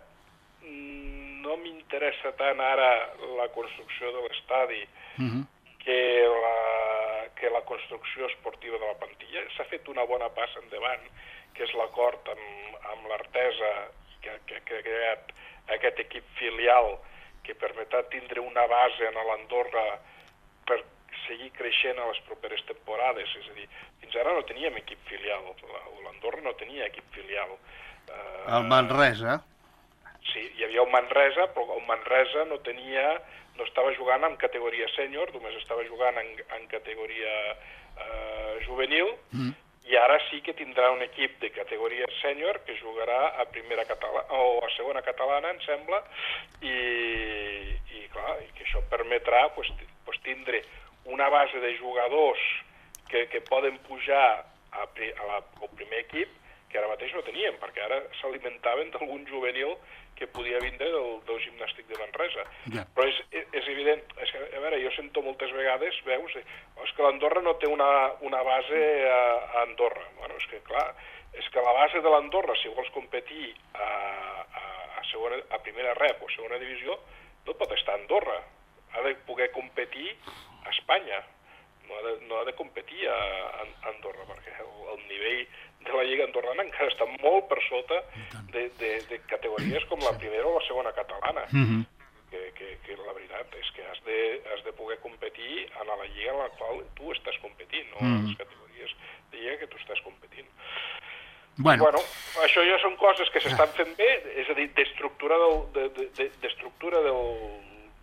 no m'interessa tant ara la construcció de l'estadi Mm-hmm. que la, que la construcció esportiva de la plantilla. S'ha fet una bona passa endavant, que és l'acord amb, amb l'Artesa, que, que, que ha creat aquest equip filial que permetrà tindre una base a l'Andorra per seguir creixent a les properes temporades. És a dir, fins ara no teníem equip filial, l'Andorra no tenia equip filial. Uh, El Manresa. Sí, hi havia el Manresa, però el Manresa no tenia, no estava jugant en categoria sènior, només estava jugant en, en categoria eh, juvenil, mm. i ara sí que tindrà un equip de categoria sènior que jugarà a primera catalana, o a segona catalana, em sembla, i, i clar, i que això permetrà pues, pues, tindre una base de jugadors que, que poden pujar a, a la, al primer equip, que ara mateix no teníem, perquè ara s'alimentaven d'algun juvenil que podia vindre del, del gimnàstic de Manresa. Yeah. Però és, és evident, és que, a veure, jo sento moltes vegades, veus, és que l'Andorra no té una, una base a, a Andorra. Bueno, és que clar, és que la base de l'Andorra, si vols competir a, a, a, segona, a primera rep o segona divisió, no pot estar a Andorra. Ha de poder competir a Espanya. No ha de, no ha de competir a, a Andorra, perquè el, el nivell de la Lliga Andorrana encara està molt per sota de, de, de categories com la primera o la segona catalana. Mm-hmm. que, que, que la veritat és que has de, has de poder competir en la lliga en la qual tu estàs competint, no en les categories de lliga que tu estàs competint. Bueno, bueno això ja són coses que s'estan fent bé, és a dir, d'estructura del, de, de, de, d'estructura del,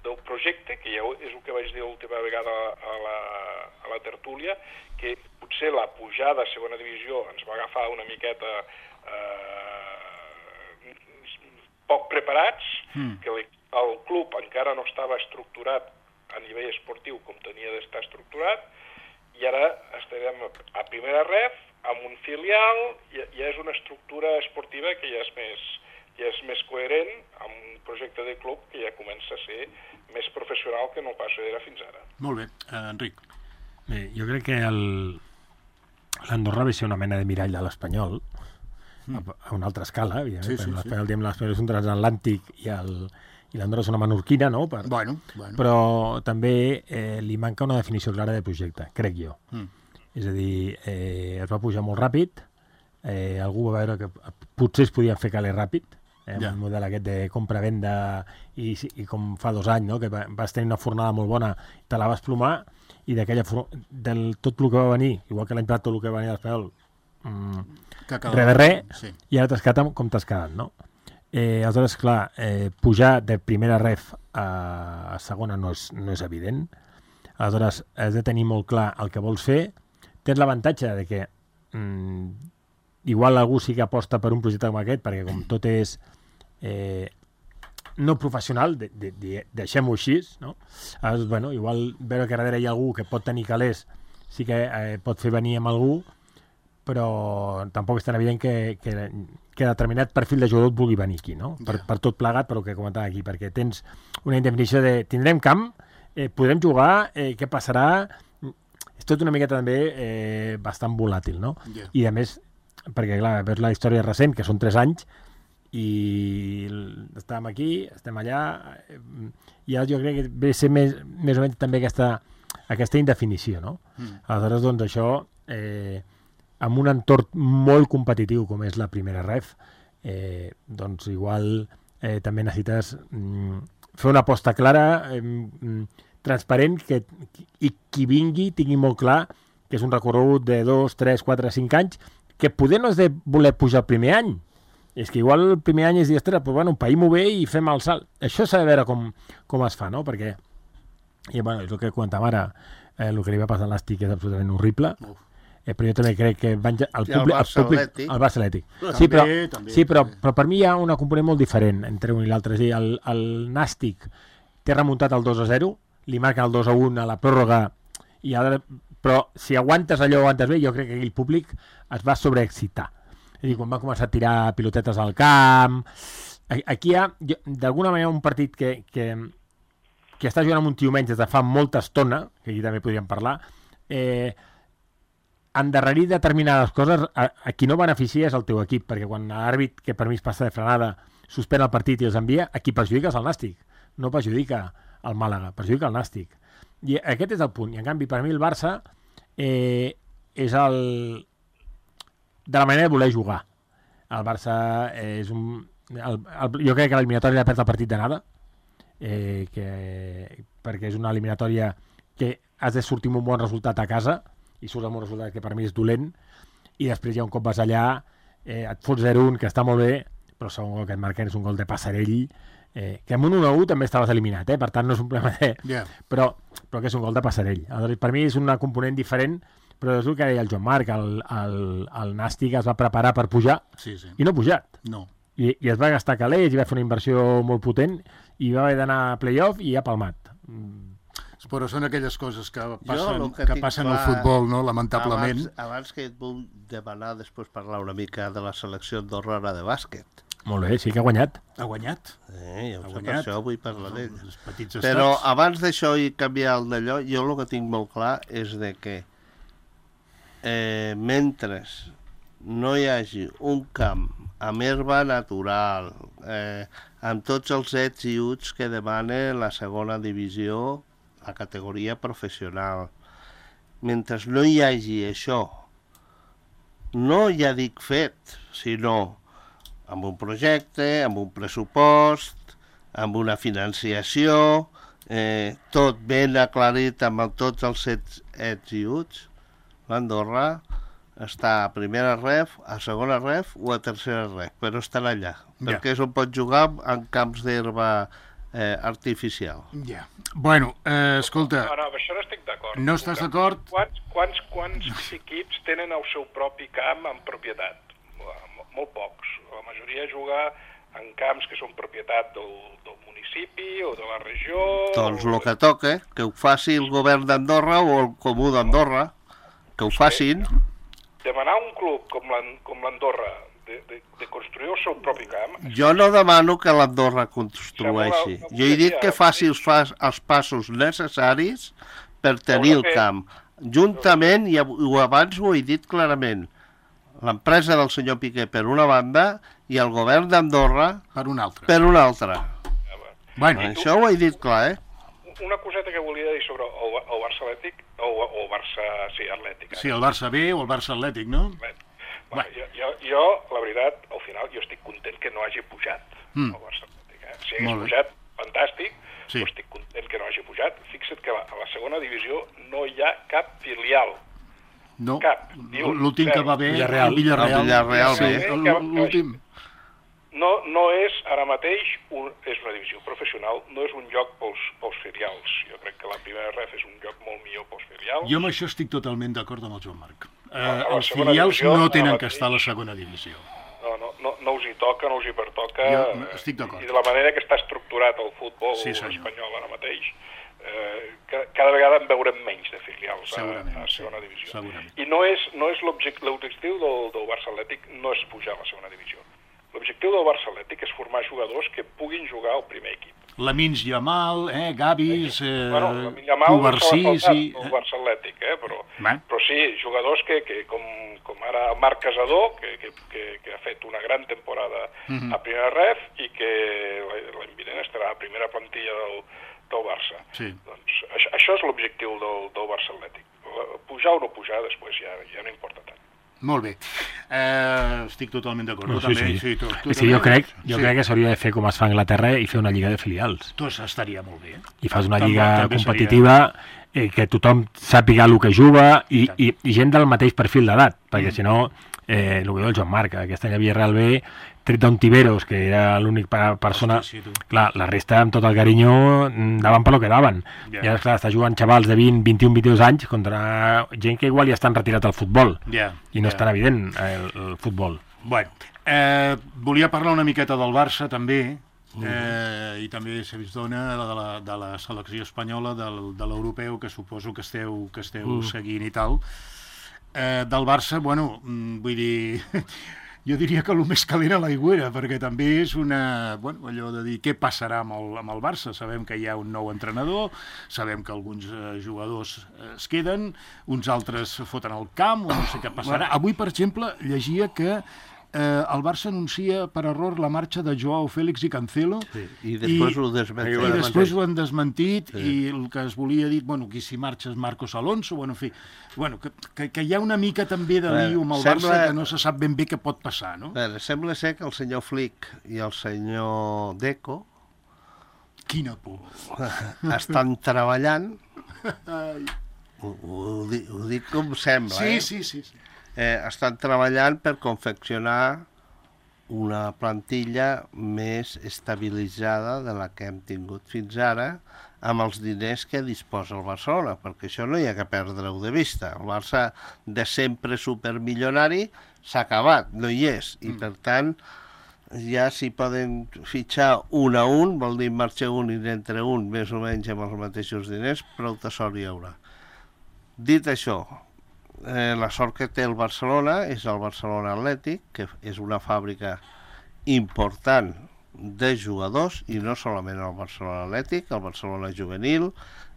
del projecte, que ja és el que vaig dir l'última vegada a la, a la tertúlia, que potser la pujada a segona divisió ens va agafar una miqueta eh, poc preparats, mm. que el club encara no estava estructurat a nivell esportiu com tenia d'estar estructurat, i ara estarem a primera ref, amb un filial, ja, ja és una estructura esportiva que ja és més, ja és més coherent amb un projecte de club que ja comença a ser més professional que no pas era fins ara. Molt bé. Uh, Enric. Bé, jo crec que el... l'Andorra va ser una mena de mirall de l'Espanyol, mm. a, a una altra escala, evidentment, sí, sí, l'Espanyol, sí. l'Espanyol és un transatlàntic i el... i l'Andorra és una menorquina, no? Per... Bueno, bueno. Però també eh, li manca una definició clara de projecte, crec jo. Mm. És a dir, eh, es va pujar molt ràpid, eh, algú va veure que potser es podia fer caler ràpid, eh, yeah. un model aquest de compra-venda, i, i com fa dos anys, no? Que vas tenir una fornada molt bona, te la vas plomar, i d'aquella for... del tot el que va venir, igual que l'any passat tot el que va venir a l'Espanyol, mm, res de res, sí. I ara t'has quedat com t'has quedat, no? Eh, aleshores, clar, eh, pujar de primera ref a segona no és, no és evident. Aleshores, has de tenir molt clar el que vols fer. Tens l'avantatge de que mm, igual algú sí que aposta per un projecte com aquest, perquè com tot és eh, no professional, de, de, de, deixem-ho així, no? Aleshores, bueno, igual veure que darrere hi ha algú que pot tenir calés, sí que eh, pot fer venir amb algú, però tampoc és tan evident que, que, que determinat perfil de jugador et vulgui venir aquí, no? Per, per tot plegat, per el que comentava aquí, perquè tens una indefinició de tindrem camp, eh, podrem jugar, eh, què passarà? És tot una miqueta també eh, bastant volàtil, no? Yeah. I a més, perquè clar, veus la història recent, que són tres anys, i estàvem aquí, estem allà, eh, i ara jo crec que ve a ser més, més o menys també aquesta, aquesta indefinició, no? Mm. Aleshores, doncs, això... Eh, amb un entorn molt competitiu com és la primera ref, eh, doncs igual eh, també necessites mm, fer una aposta clara, eh, transparent, que, i qui vingui tingui molt clar que és un recorregut de dos, tres, quatre, cinc anys, que poder no és de voler pujar el primer any. És que igual el primer any és dir, ostres, però bueno, païm-ho bé i fem el salt. Això s'ha de veure com, com es fa, no? Perquè, i, bueno, és el que comentàvem ara, eh, el que li va passar a l'Àstic és absolutament horrible. Uf. Eh, però jo també crec que van, el, sí, el Barça Atlètic. El Barça Atlètic. També, sí, però, també, sí però, també. però per mi hi ha una component molt diferent entre un i l'altre. És a dir, el, el Nàstic té remuntat el dos a zero, li marquen el dos a un a la pròrroga, i ara, però si aguantes allò, aguantes bé, jo crec que el públic es va sobreexcitar. És a dir, quan va començar a tirar pilotetes al camp... Aquí hi ha, d'alguna manera, un partit que, que, que està jugant amb un tio menys des de fa molta estona, que aquí també podríem parlar, eh, endarrerir determinades coses, a, a qui no beneficia és el teu equip, perquè quan l'àrbit, que per mi es passa de frenada, suspèn el partit i els envia, a qui perjudica és el Nàstic, no perjudica el Màlaga, perjudica el Nàstic. I aquest és el punt, i en canvi per mi el Barça eh, és el... de la manera de voler jugar. El Barça és un... El, el, jo crec que l'eliminatòria ha perd el partit d'anada, eh, que, perquè és una eliminatòria que has de sortir amb un bon resultat a casa, i surts amb un resultat que per mi és dolent, i després ja un cop vas allà, eh, et fots zero un, que està molt bé, però el segon gol que et marquen és un gol de Passarell, eh, que amb un un a u també estaves eliminat, eh, per tant no és un problema de... Yeah. Però, però que és un gol de Passarell. Aleshores, per mi és una component diferent, però és el que deia el Joan Marc, el, el, el Nàstic es va preparar per pujar, sí, sí. I no ha pujat. No. I, I es va gastar calés, i va fer una inversió molt potent, i va haver d'anar a play-off i ha palmat. Però són aquelles coses que passen, jo, que que passen clar, al futbol, no? Lamentablement. Abans, abans que et vull demanar després parlar una mica de la selecció andorrana de bàsquet. Molt bé, sí que ha guanyat. Ha guanyat. Eh, ja ho sé, per això vull parlar d'ell. Però estats. Abans d'això i canviar el d'allò, jo el que tinc molt clar és de que eh, mentre no hi hagi un camp amb herba natural, eh, amb tots els ets i uts que demana la segona divisió, la categoria professional. Mentre no hi hagi això, no ja dic fet, sinó amb un projecte, amb un pressupost, amb una financiació, eh, tot ben aclarit amb tots els ets, ets i uts. L'Andorra està a primera ref, a segona ref o a tercera ref, però estan allà, ja. Perquè és on pot jugar en camps d'herba eh, artificial. Ja. Bueno, eh, escolta... No, no, amb això no estic d'acord. No estàs d'acord? Quants, quants, quants equips tenen el seu propi camp en propietat? Molt pocs. La majoria juga en camps que són propietat del, del municipi o de la regió... Doncs el que toca, que ho faci el govern d'Andorra o el comú d'Andorra, que ho facin. Demanar a un club com l'Andorra de, de, de construir el seu propi camp... Jo no demano que l'Andorra construeixi. Jo he dit que faci els, fa, els passos necessaris per tenir el camp. Juntament, i abans ho he dit clarament, l'empresa del senyor Piqué per una banda i el govern d'Andorra per una altra. Per una altra. Ja, bueno, això ho he dit clar, eh? Una coseta que volia dir sobre el, el Barça Atlètic, o, o Barça, sí, Atlètic. Eh? Sí, el Barça B o el Barça Atlètic, no? Bueno, bueno. Jo, jo, jo, la veritat, al final, jo estic content que no hagi pujat mm. el Barça Atlètic. Eh? Si hagués pujat, fantàstic, sí. Però estic content que no hagi pujat. Fixa't que a la, a la segona divisió no hi ha cap filial. No, l'últim que va bé, Villarreal. Villarreal, Villarreal sí, l'últim. No, no és, ara mateix, un, és una divisió professional, no és un lloc pels, pels filials. Jo crec que la primera ref és un lloc molt millor pels filials. Jo amb això estic totalment d'acord amb el Joan Marc. Eh, els filials divisió, no tenen que estar a la segona divisió. No, no, no, no us hi toca, no us hi pertoca. Jo estic d'acord. I de la manera que està estructurat el futbol sí, espanyol ara mateix, Eh, cada vegada en veurem menys de filials a, a segona divisió. Segurament. I no és, no és l'objectiu del, del Barça Atlètic no és pujar a la segona divisió. L'objectiu del Barça Atlètic és formar jugadors que puguin jugar al primer equip. Lamins Yamal, eh, Gavis, eh, bueno, Covarsís i... el Barça Atlètic, eh, però, Man. però sí, jugadors que, que com, com ara Marc Casador, que, que, que, que ha fet una gran temporada uh-huh. a primera ref i que l'any vinent estarà a primera plantilla del del Barça. Sí. Doncs això, això és l'objectiu del, del Barça Atlètic. Pujar o no pujar, després ja, ja no importa tant. Molt bé. Eh, estic totalment d'acord. No, sí, sí. Sí, tu, tu sí, jo crec, jo sí. crec que s'hauria de fer com es fa a Anglaterra i fer una lliga de filials. Doncs estaria molt bé. I fas una lliga també competitiva seria... eh, que tothom sàpiga el que juga i, i, i gent del mateix perfil d'edat, perquè mm. si no, eh, el que diu el Joan Marc, aquest any a Villarreal B, tret d'un Tiberos, que era l'únic persona... Hosti, sí, clar, la resta, amb tot el carinyo, daven per lo que daven. Yeah. I ara, clar, està jugant xavals de vint, vint-i-un, vint-i-dos anys contra gent que igual ja estan retirat al futbol. Yeah. I no yeah. és tan evident el, el futbol. Bueno, eh, volia parlar una miqueta del Barça, també, eh, i també, si us dona, de la, de la selecció espanyola, del, de l'europeu, que suposo que esteu, que esteu mm. seguint i tal. Eh, del Barça, bueno, vull dir... Jo diria que el més calent a l'aigüera, perquè també és una... Bueno, allò de dir què passarà amb el, amb el Barça. Sabem que hi ha un nou entrenador, sabem que alguns eh, jugadors es queden, uns altres foten al camp, o no sé què passarà. Avui, per exemple, llegia que eh, el Barça anuncia per error la marxa de Joao Félix i Cancelo. Sí, i després i, ho desmentit. I després ho han desmentit, sí. I el que es volia dir, bueno, qui si marxa és Marcos Alonso, bueno, en fi, bueno, que, que, que hi ha una mica també de lío amb el sembla, Barça que no se sap ben bé què pot passar, no? Veure, sembla ser que el senyor Flick i el senyor Deco quina por estan treballant ho, ho, dic, ho dic com sembla, sí, eh? Sí, sí, sí. Eh, estan treballant per confeccionar una plantilla més estabilitzada de la que hem tingut fins ara amb els diners que disposa el Barcelona, perquè això no hi ha que perdre-ho de vista. El Barça de sempre supermilionari s'ha acabat, no hi és, i per tant ja s'hi poden fitxar un a un, vol dir marxar un i d'entre un més o menys amb els mateixos diners, prou de sort hi haurà. Dit això, Eh, la sort que té el Barcelona és el Barcelona Atlètic, que és una fàbrica important de jugadors, i no solament el Barcelona Atlètic, el Barcelona Juvenil,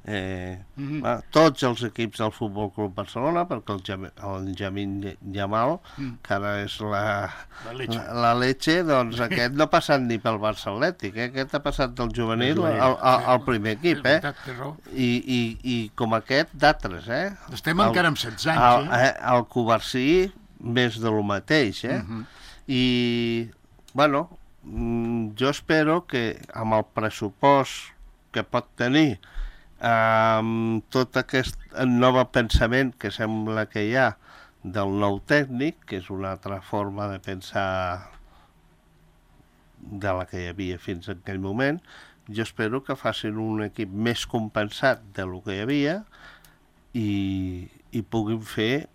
eh, mm-hmm. va, tots els equips del Futbol Club Barcelona, perquè el, Jam, el Jamin Yamal, mm. que ara és la, la, leche. la, la leche, doncs aquest no ha passat ni pel Barça Atlètic, eh? Aquest ha passat del Juvenil al, al, al primer equip, eh? I, i, i com aquest d'altres, eh? Estem encara amb setze anys, eh? El, el Covarsí més de lo mateix, eh? Uh-huh. I, bueno, jo espero que amb el pressupost que pot tenir, amb tot aquest nou pensament que sembla que hi ha del nou tècnic, que és una altra forma de pensar de la que hi havia fins en aquell moment, jo espero que facin un equip més compensat de lo que hi havia i, i puguin fer,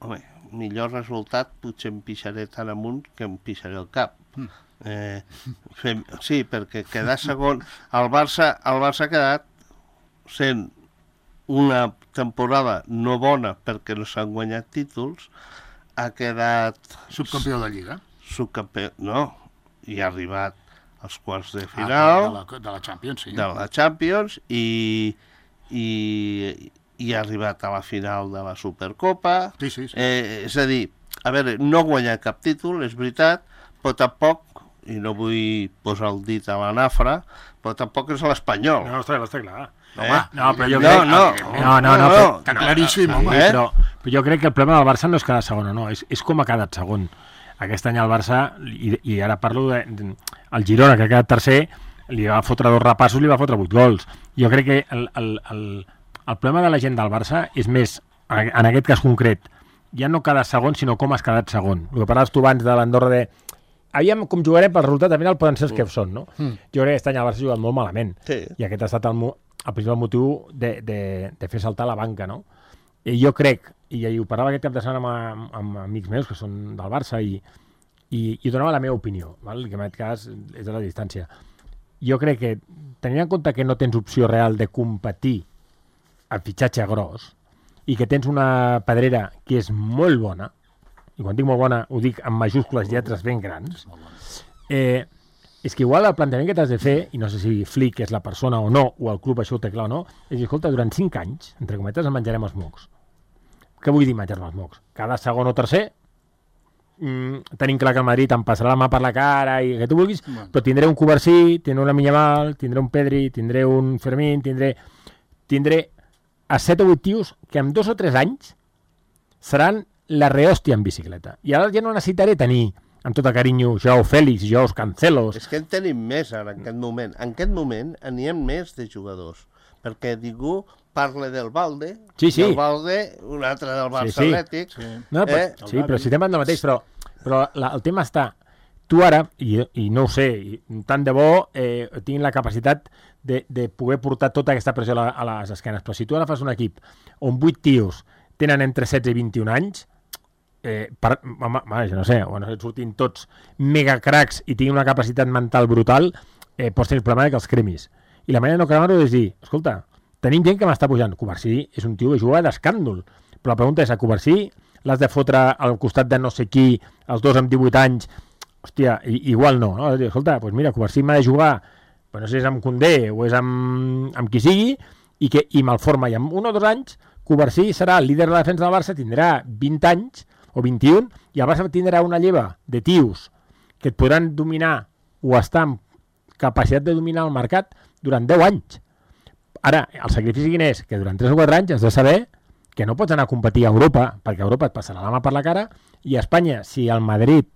home, millor resultat potser em pixaré tan amunt que em pixaré el cap. Eh, fem, sí, perquè quedar segon, el Barça, el Barça ha quedat sent una temporada no bona perquè no s'han guanyat títols, ha quedat... Subcampió de Lliga. Subcampió, no, i ha arribat als quarts de final... Ah, de, la, de la Champions, sí. De la Champions, i, i, i ha arribat a la final de la Supercopa. Sí, sí, sí. Eh, és a dir, a veure, no ha guanyat cap títol, és veritat, però tampoc, i no vull posar el dit a la nafra, però tampoc és l'Espanyol. No, està, està clar. Eh? No, però jo no, crec... no, no, no, no, però, Està claríssim, home. Eh? però, però jo crec que el problema del Barça no és quedar segon o no, és, és com ha quedat segon. Aquest any el Barça, i, i ara parlo de, de, el Girona, que ha quedat tercer, li va fotre dos repassos, li va fotre vuit gols. Jo crec que el, el, el, el problema de la gent del Barça és més, en aquest cas concret, ja no quedar segon, sinó com has quedat segon. El que parlaves tu abans de l'Andorra de... Aviam com jugarem, pel resultat al final poden ser els que són, no? Mm. Jo crec que aquest any el Barça ha jugat molt malament. Sí. I aquest ha estat el, el principal motiu de, de, de fer saltar la banca, no? I jo crec, i ho parlava aquest cap de setmana amb, amb amics meus que són del Barça, i, i, i donava la meva opinió, val? Que en aquest cas és de la distància. Jo crec que, tenint en compte que no tens opció real de competir al fitxatge gros, i que tens una pedrera que és molt bona, i quan dic molt bona ho dic amb majúscules lletres ben grans, eh, és que igual el plantejament que t'has de fer, i no sé si Flick és la persona o no, o el club això ho té clar o no, és dir, escolta, durant cinc anys, entre cometes, en menjarem els mocs. Què vull dir menjar-me els mocs? Cada segon o tercer, mmm, tenim clar que el Madrid em passarà la mà per la cara i que tu vulguis, bueno. Però tindré un Covarsí, tindré una Minyamal, tindré un Pedri, tindré un Fermín, tindré, tindré a set o vuit tios que en dos o tres anys seran la rehòstia en bicicleta. I ara ja no necessitaré tenir, amb tot el carinyo, Joao Félix, Joao Cancelos... És que en tenim més ara, en aquest moment. En aquest moment n'hi ha més de jugadors. Perquè ningú parla del Valde, sí, sí. del Valde, un altre del Barça sí, sí. Atlètic... Sí, no, però, eh? sí però si estem parlant del mateix, però, però la, el tema està... Tu ara, i, i no ho sé, i, tant de bo eh, tinc la capacitat de, de poder portar tota aquesta pressió a, la, a les esquenes, però si tu ara fas un equip on vuit tios tenen entre setze i vint-i-un anys, Eh, per, home, jo no sé, bueno, surtin tots mega cracs i tinguin una capacitat mental brutal, eh, pots tenir el problema que els cremis. I la manera de no cremar-ho és dir, escolta, tenim gent que m'està pujant. Covarsí és un tio que juga d'escàndol, però la pregunta és, a Covarsí l'has de fotre al costat de no sé qui, els dos amb divuit anys, hòstia, i, igual no, no? Dir, escolta, doncs mira, Covarsí m'ha de jugar, però no sé si és amb Koundé o és amb, amb qui sigui, i que i malforma, i en un o dos anys Covarsí serà el líder de la defensa del Barça, tindrà vint anys o vint-i-un, i el Barça tindrà una lleva de tios que et podran dominar o estar amb capacitat de dominar el mercat durant deu anys. Ara, el sacrifici quin és? Que durant tres o quatre anys has de saber que no pots anar a competir a Europa, perquè a Europa et passarà la mà per la cara, i a Espanya, si al Madrid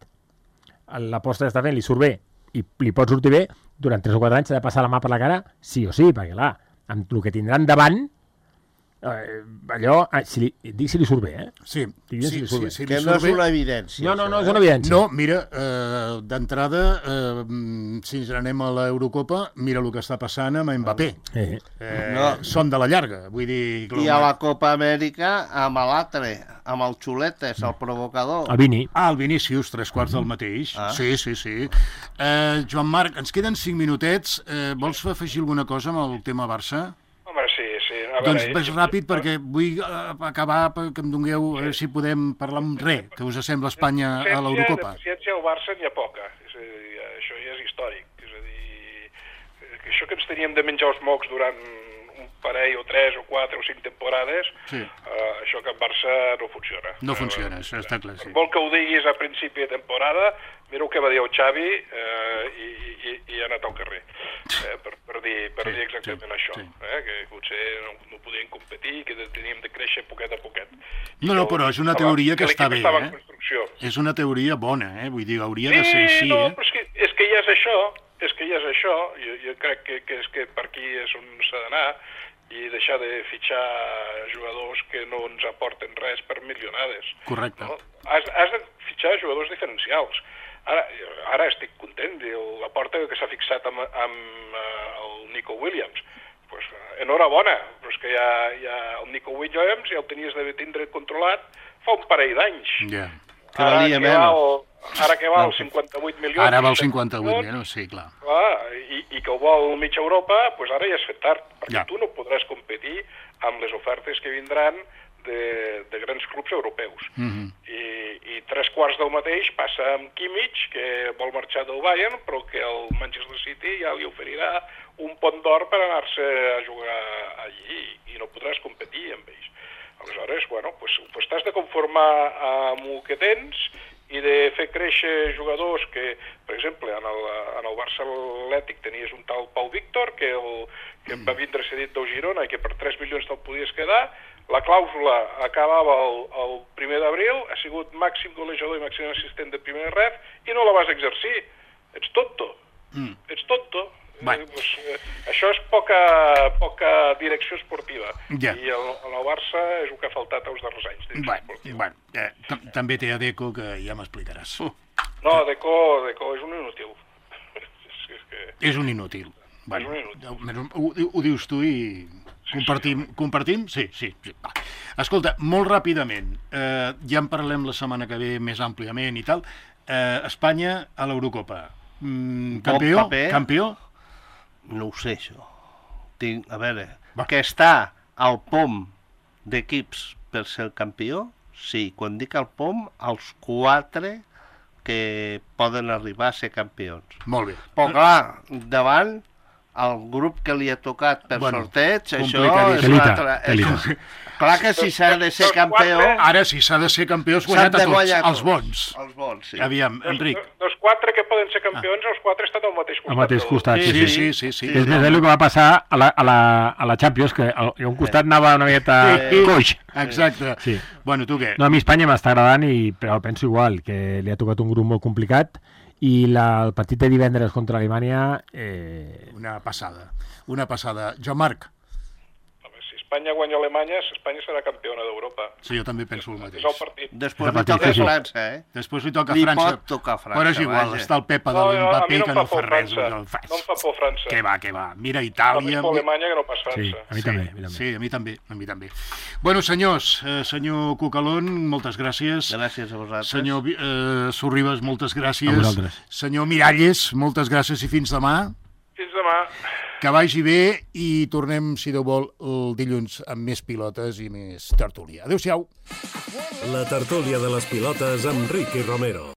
l'aposta que està fent li surt bé i li pot sortir bé, durant tres o quatre anys s'ha de passar la mà per la cara sí o sí, perquè clar, amb el que tindran davant, Eh, allò, eh, si li, dic si li surt bé, eh? Sí, sí, si li sí, bé. sí, que no és una evidència. No, no, no és una evidència. No, mira, eh, d'entrada, eh, si ens anem a l'Eurocopa, mira el que està passant amb Mbappé. Eh. Eh, no. Són de la llarga, vull dir... I a la Copa Amèrica, amb l'altre, amb el Xuletes, el provocador. El Vini. Ah, el Vinícius, tres quarts del mateix. Ah. Sí, sí, sí. Eh, Joan Marc, ens queden cinc minutets. Eh, vols afegir alguna cosa amb el tema Barça? Home, sí, sí. A doncs veure, ves ràpid perquè vull acabar que em dongueu, sí. si podem parlar amb res, que us sembla Espanya a l'Eurocopa. De paciència al Barça n'hi ha poca, és a dir, això ja és històric, és a dir, això que ens teníem de menjar els mocs durant un parell o tres o quatre o cinc temporades, sí. uh, això que en Barça no funciona. No funciona, això està clar, sí. Vol que ho diguis a principi de temporada, mira el que va dir el Xavi eh, i, i, i ha anat al carrer, eh, per, per, dir, per sí, dir exactament sí, això, sí. Eh, que potser no, no podien competir, que teníem de créixer poquet a poquet. I no, no, però és una teoria que està bé, eh? És una teoria bona, eh? Vull dir, hauria sí, de ser així, no, eh? Però és que, és que ja és això, és que ja és això, jo, jo crec que, que és que per aquí és on s'ha d'anar, i deixar de fitxar jugadors que no ens aporten res per milionades. Correcte. No? Has, has de fitxar jugadors diferencials. Ara, ara estic content, la porta que s'ha fixat amb, amb uh, el Nico Williams. Pues, enhorabona, però és que ja, ja el Nico Williams ja el tenies de tindre controlat fa un parell d'anys. Ja. Que valia menys. Ara que val cinquanta-vuit milions... Ara val cinquanta-vuit milions, sí, clar. clar i, I que ho vol mitja Europa, pues ara ja és fet tard, perquè ja. Tu no podràs competir amb les ofertes que vindran de, de grans clubs europeus. Mm -hmm. I, I tres quarts del mateix passa amb Kimmich, que vol marxar del Bayern, però que el Manchester City ja li oferirà un pont d'or per anar-se a jugar allí, i no podràs competir amb ells. Aleshores, bueno, pues, pues t'has de conformar amb el que tens i de fer créixer jugadors que, per exemple, en el, en el Barça Atlètic tenies un tal Pau Víctor, que, el, que va vindre cedit del Girona i que per tres milions te'l podies quedar. La clàusula acabava el, el primer d'abril, ha sigut màxim golejador i màxim assistent de primer ref i no la vas exercir. Ets tonto. Mm. Ets tonto. Eh, pues, eh, això és poca, poca direcció esportiva. Ja. I el, el Barça és el que ha faltat els darrers anys. Bueno, bueno, eh, també té a Deco, que ja m'explicaràs. Uh. No, Deco, Deco és un inútil. és, és, que... és un inútil. Bueno, és un inútil. Ho, ho dius tu i compartim? Compartim? Sí, sí. sí. Va. Escolta, molt ràpidament, eh, ja en parlem la setmana que ve més àmpliament i tal. Eh, Espanya a l'Eurocopa. Mm, campió? Campió? No ho sé, això. Tinc, a veure, Va. que està al pom d'equips per ser el campió, sí. Quan dic al pom, els quatre que poden arribar a ser campions. Molt bé. Però clar, davant el grup que li ha tocat per bueno, sorteig, això és una altra... És... Clar que si s'ha de ser campió... Ara, si s'ha de ser campió, has guanyat a tots, els bons. Els bons, sí. Aviam, Enric. Dels quatre que poden ser campions, ah. els quatre estan al mateix costat. Al mateix costat, sí. Sí, sí, sí. sí, sí. És més el que va passar a la, a la, a la Champions, que a un costat anava una miqueta sí. coix. Exacte. Sí. Bueno, tu què? No, a mi Espanya m'està agradant, i, però penso igual, que li ha tocat un grup molt complicat, i la, el partit de divendres contra Alemanya... Eh... Una passada, una passada. Joan Marc. Si Espanya guanya Alemanya, Espanya serà campiona d'Europa. Sí, jo també penso el mateix. És el partit. Després li toca a França, eh? Després li toca a li França. Li pot tocar a França. Però és igual, vaja. Està el Pepa de l'Mbappé no, que no fa res. No em fa por França. Què va, què va. Mira Itàlia... No em fa Alemanya que no pas França. Sí, a mi sí, també. A mi també. Sí, a mi també, a mi també. Bueno, senyors, eh, senyor Cucalón, moltes gràcies. Gràcies a vosaltres. Senyor eh, Sorribes, moltes gràcies. A vosaltres. Senyor Miralles, moltes gràcies i fins demà. Fins demà. Que vagi bé i tornem, si Déu vol, el dilluns amb més pilotes i més tertúlia. Adéu-siau. La tertúlia de les pilotes amb Ricky Romero.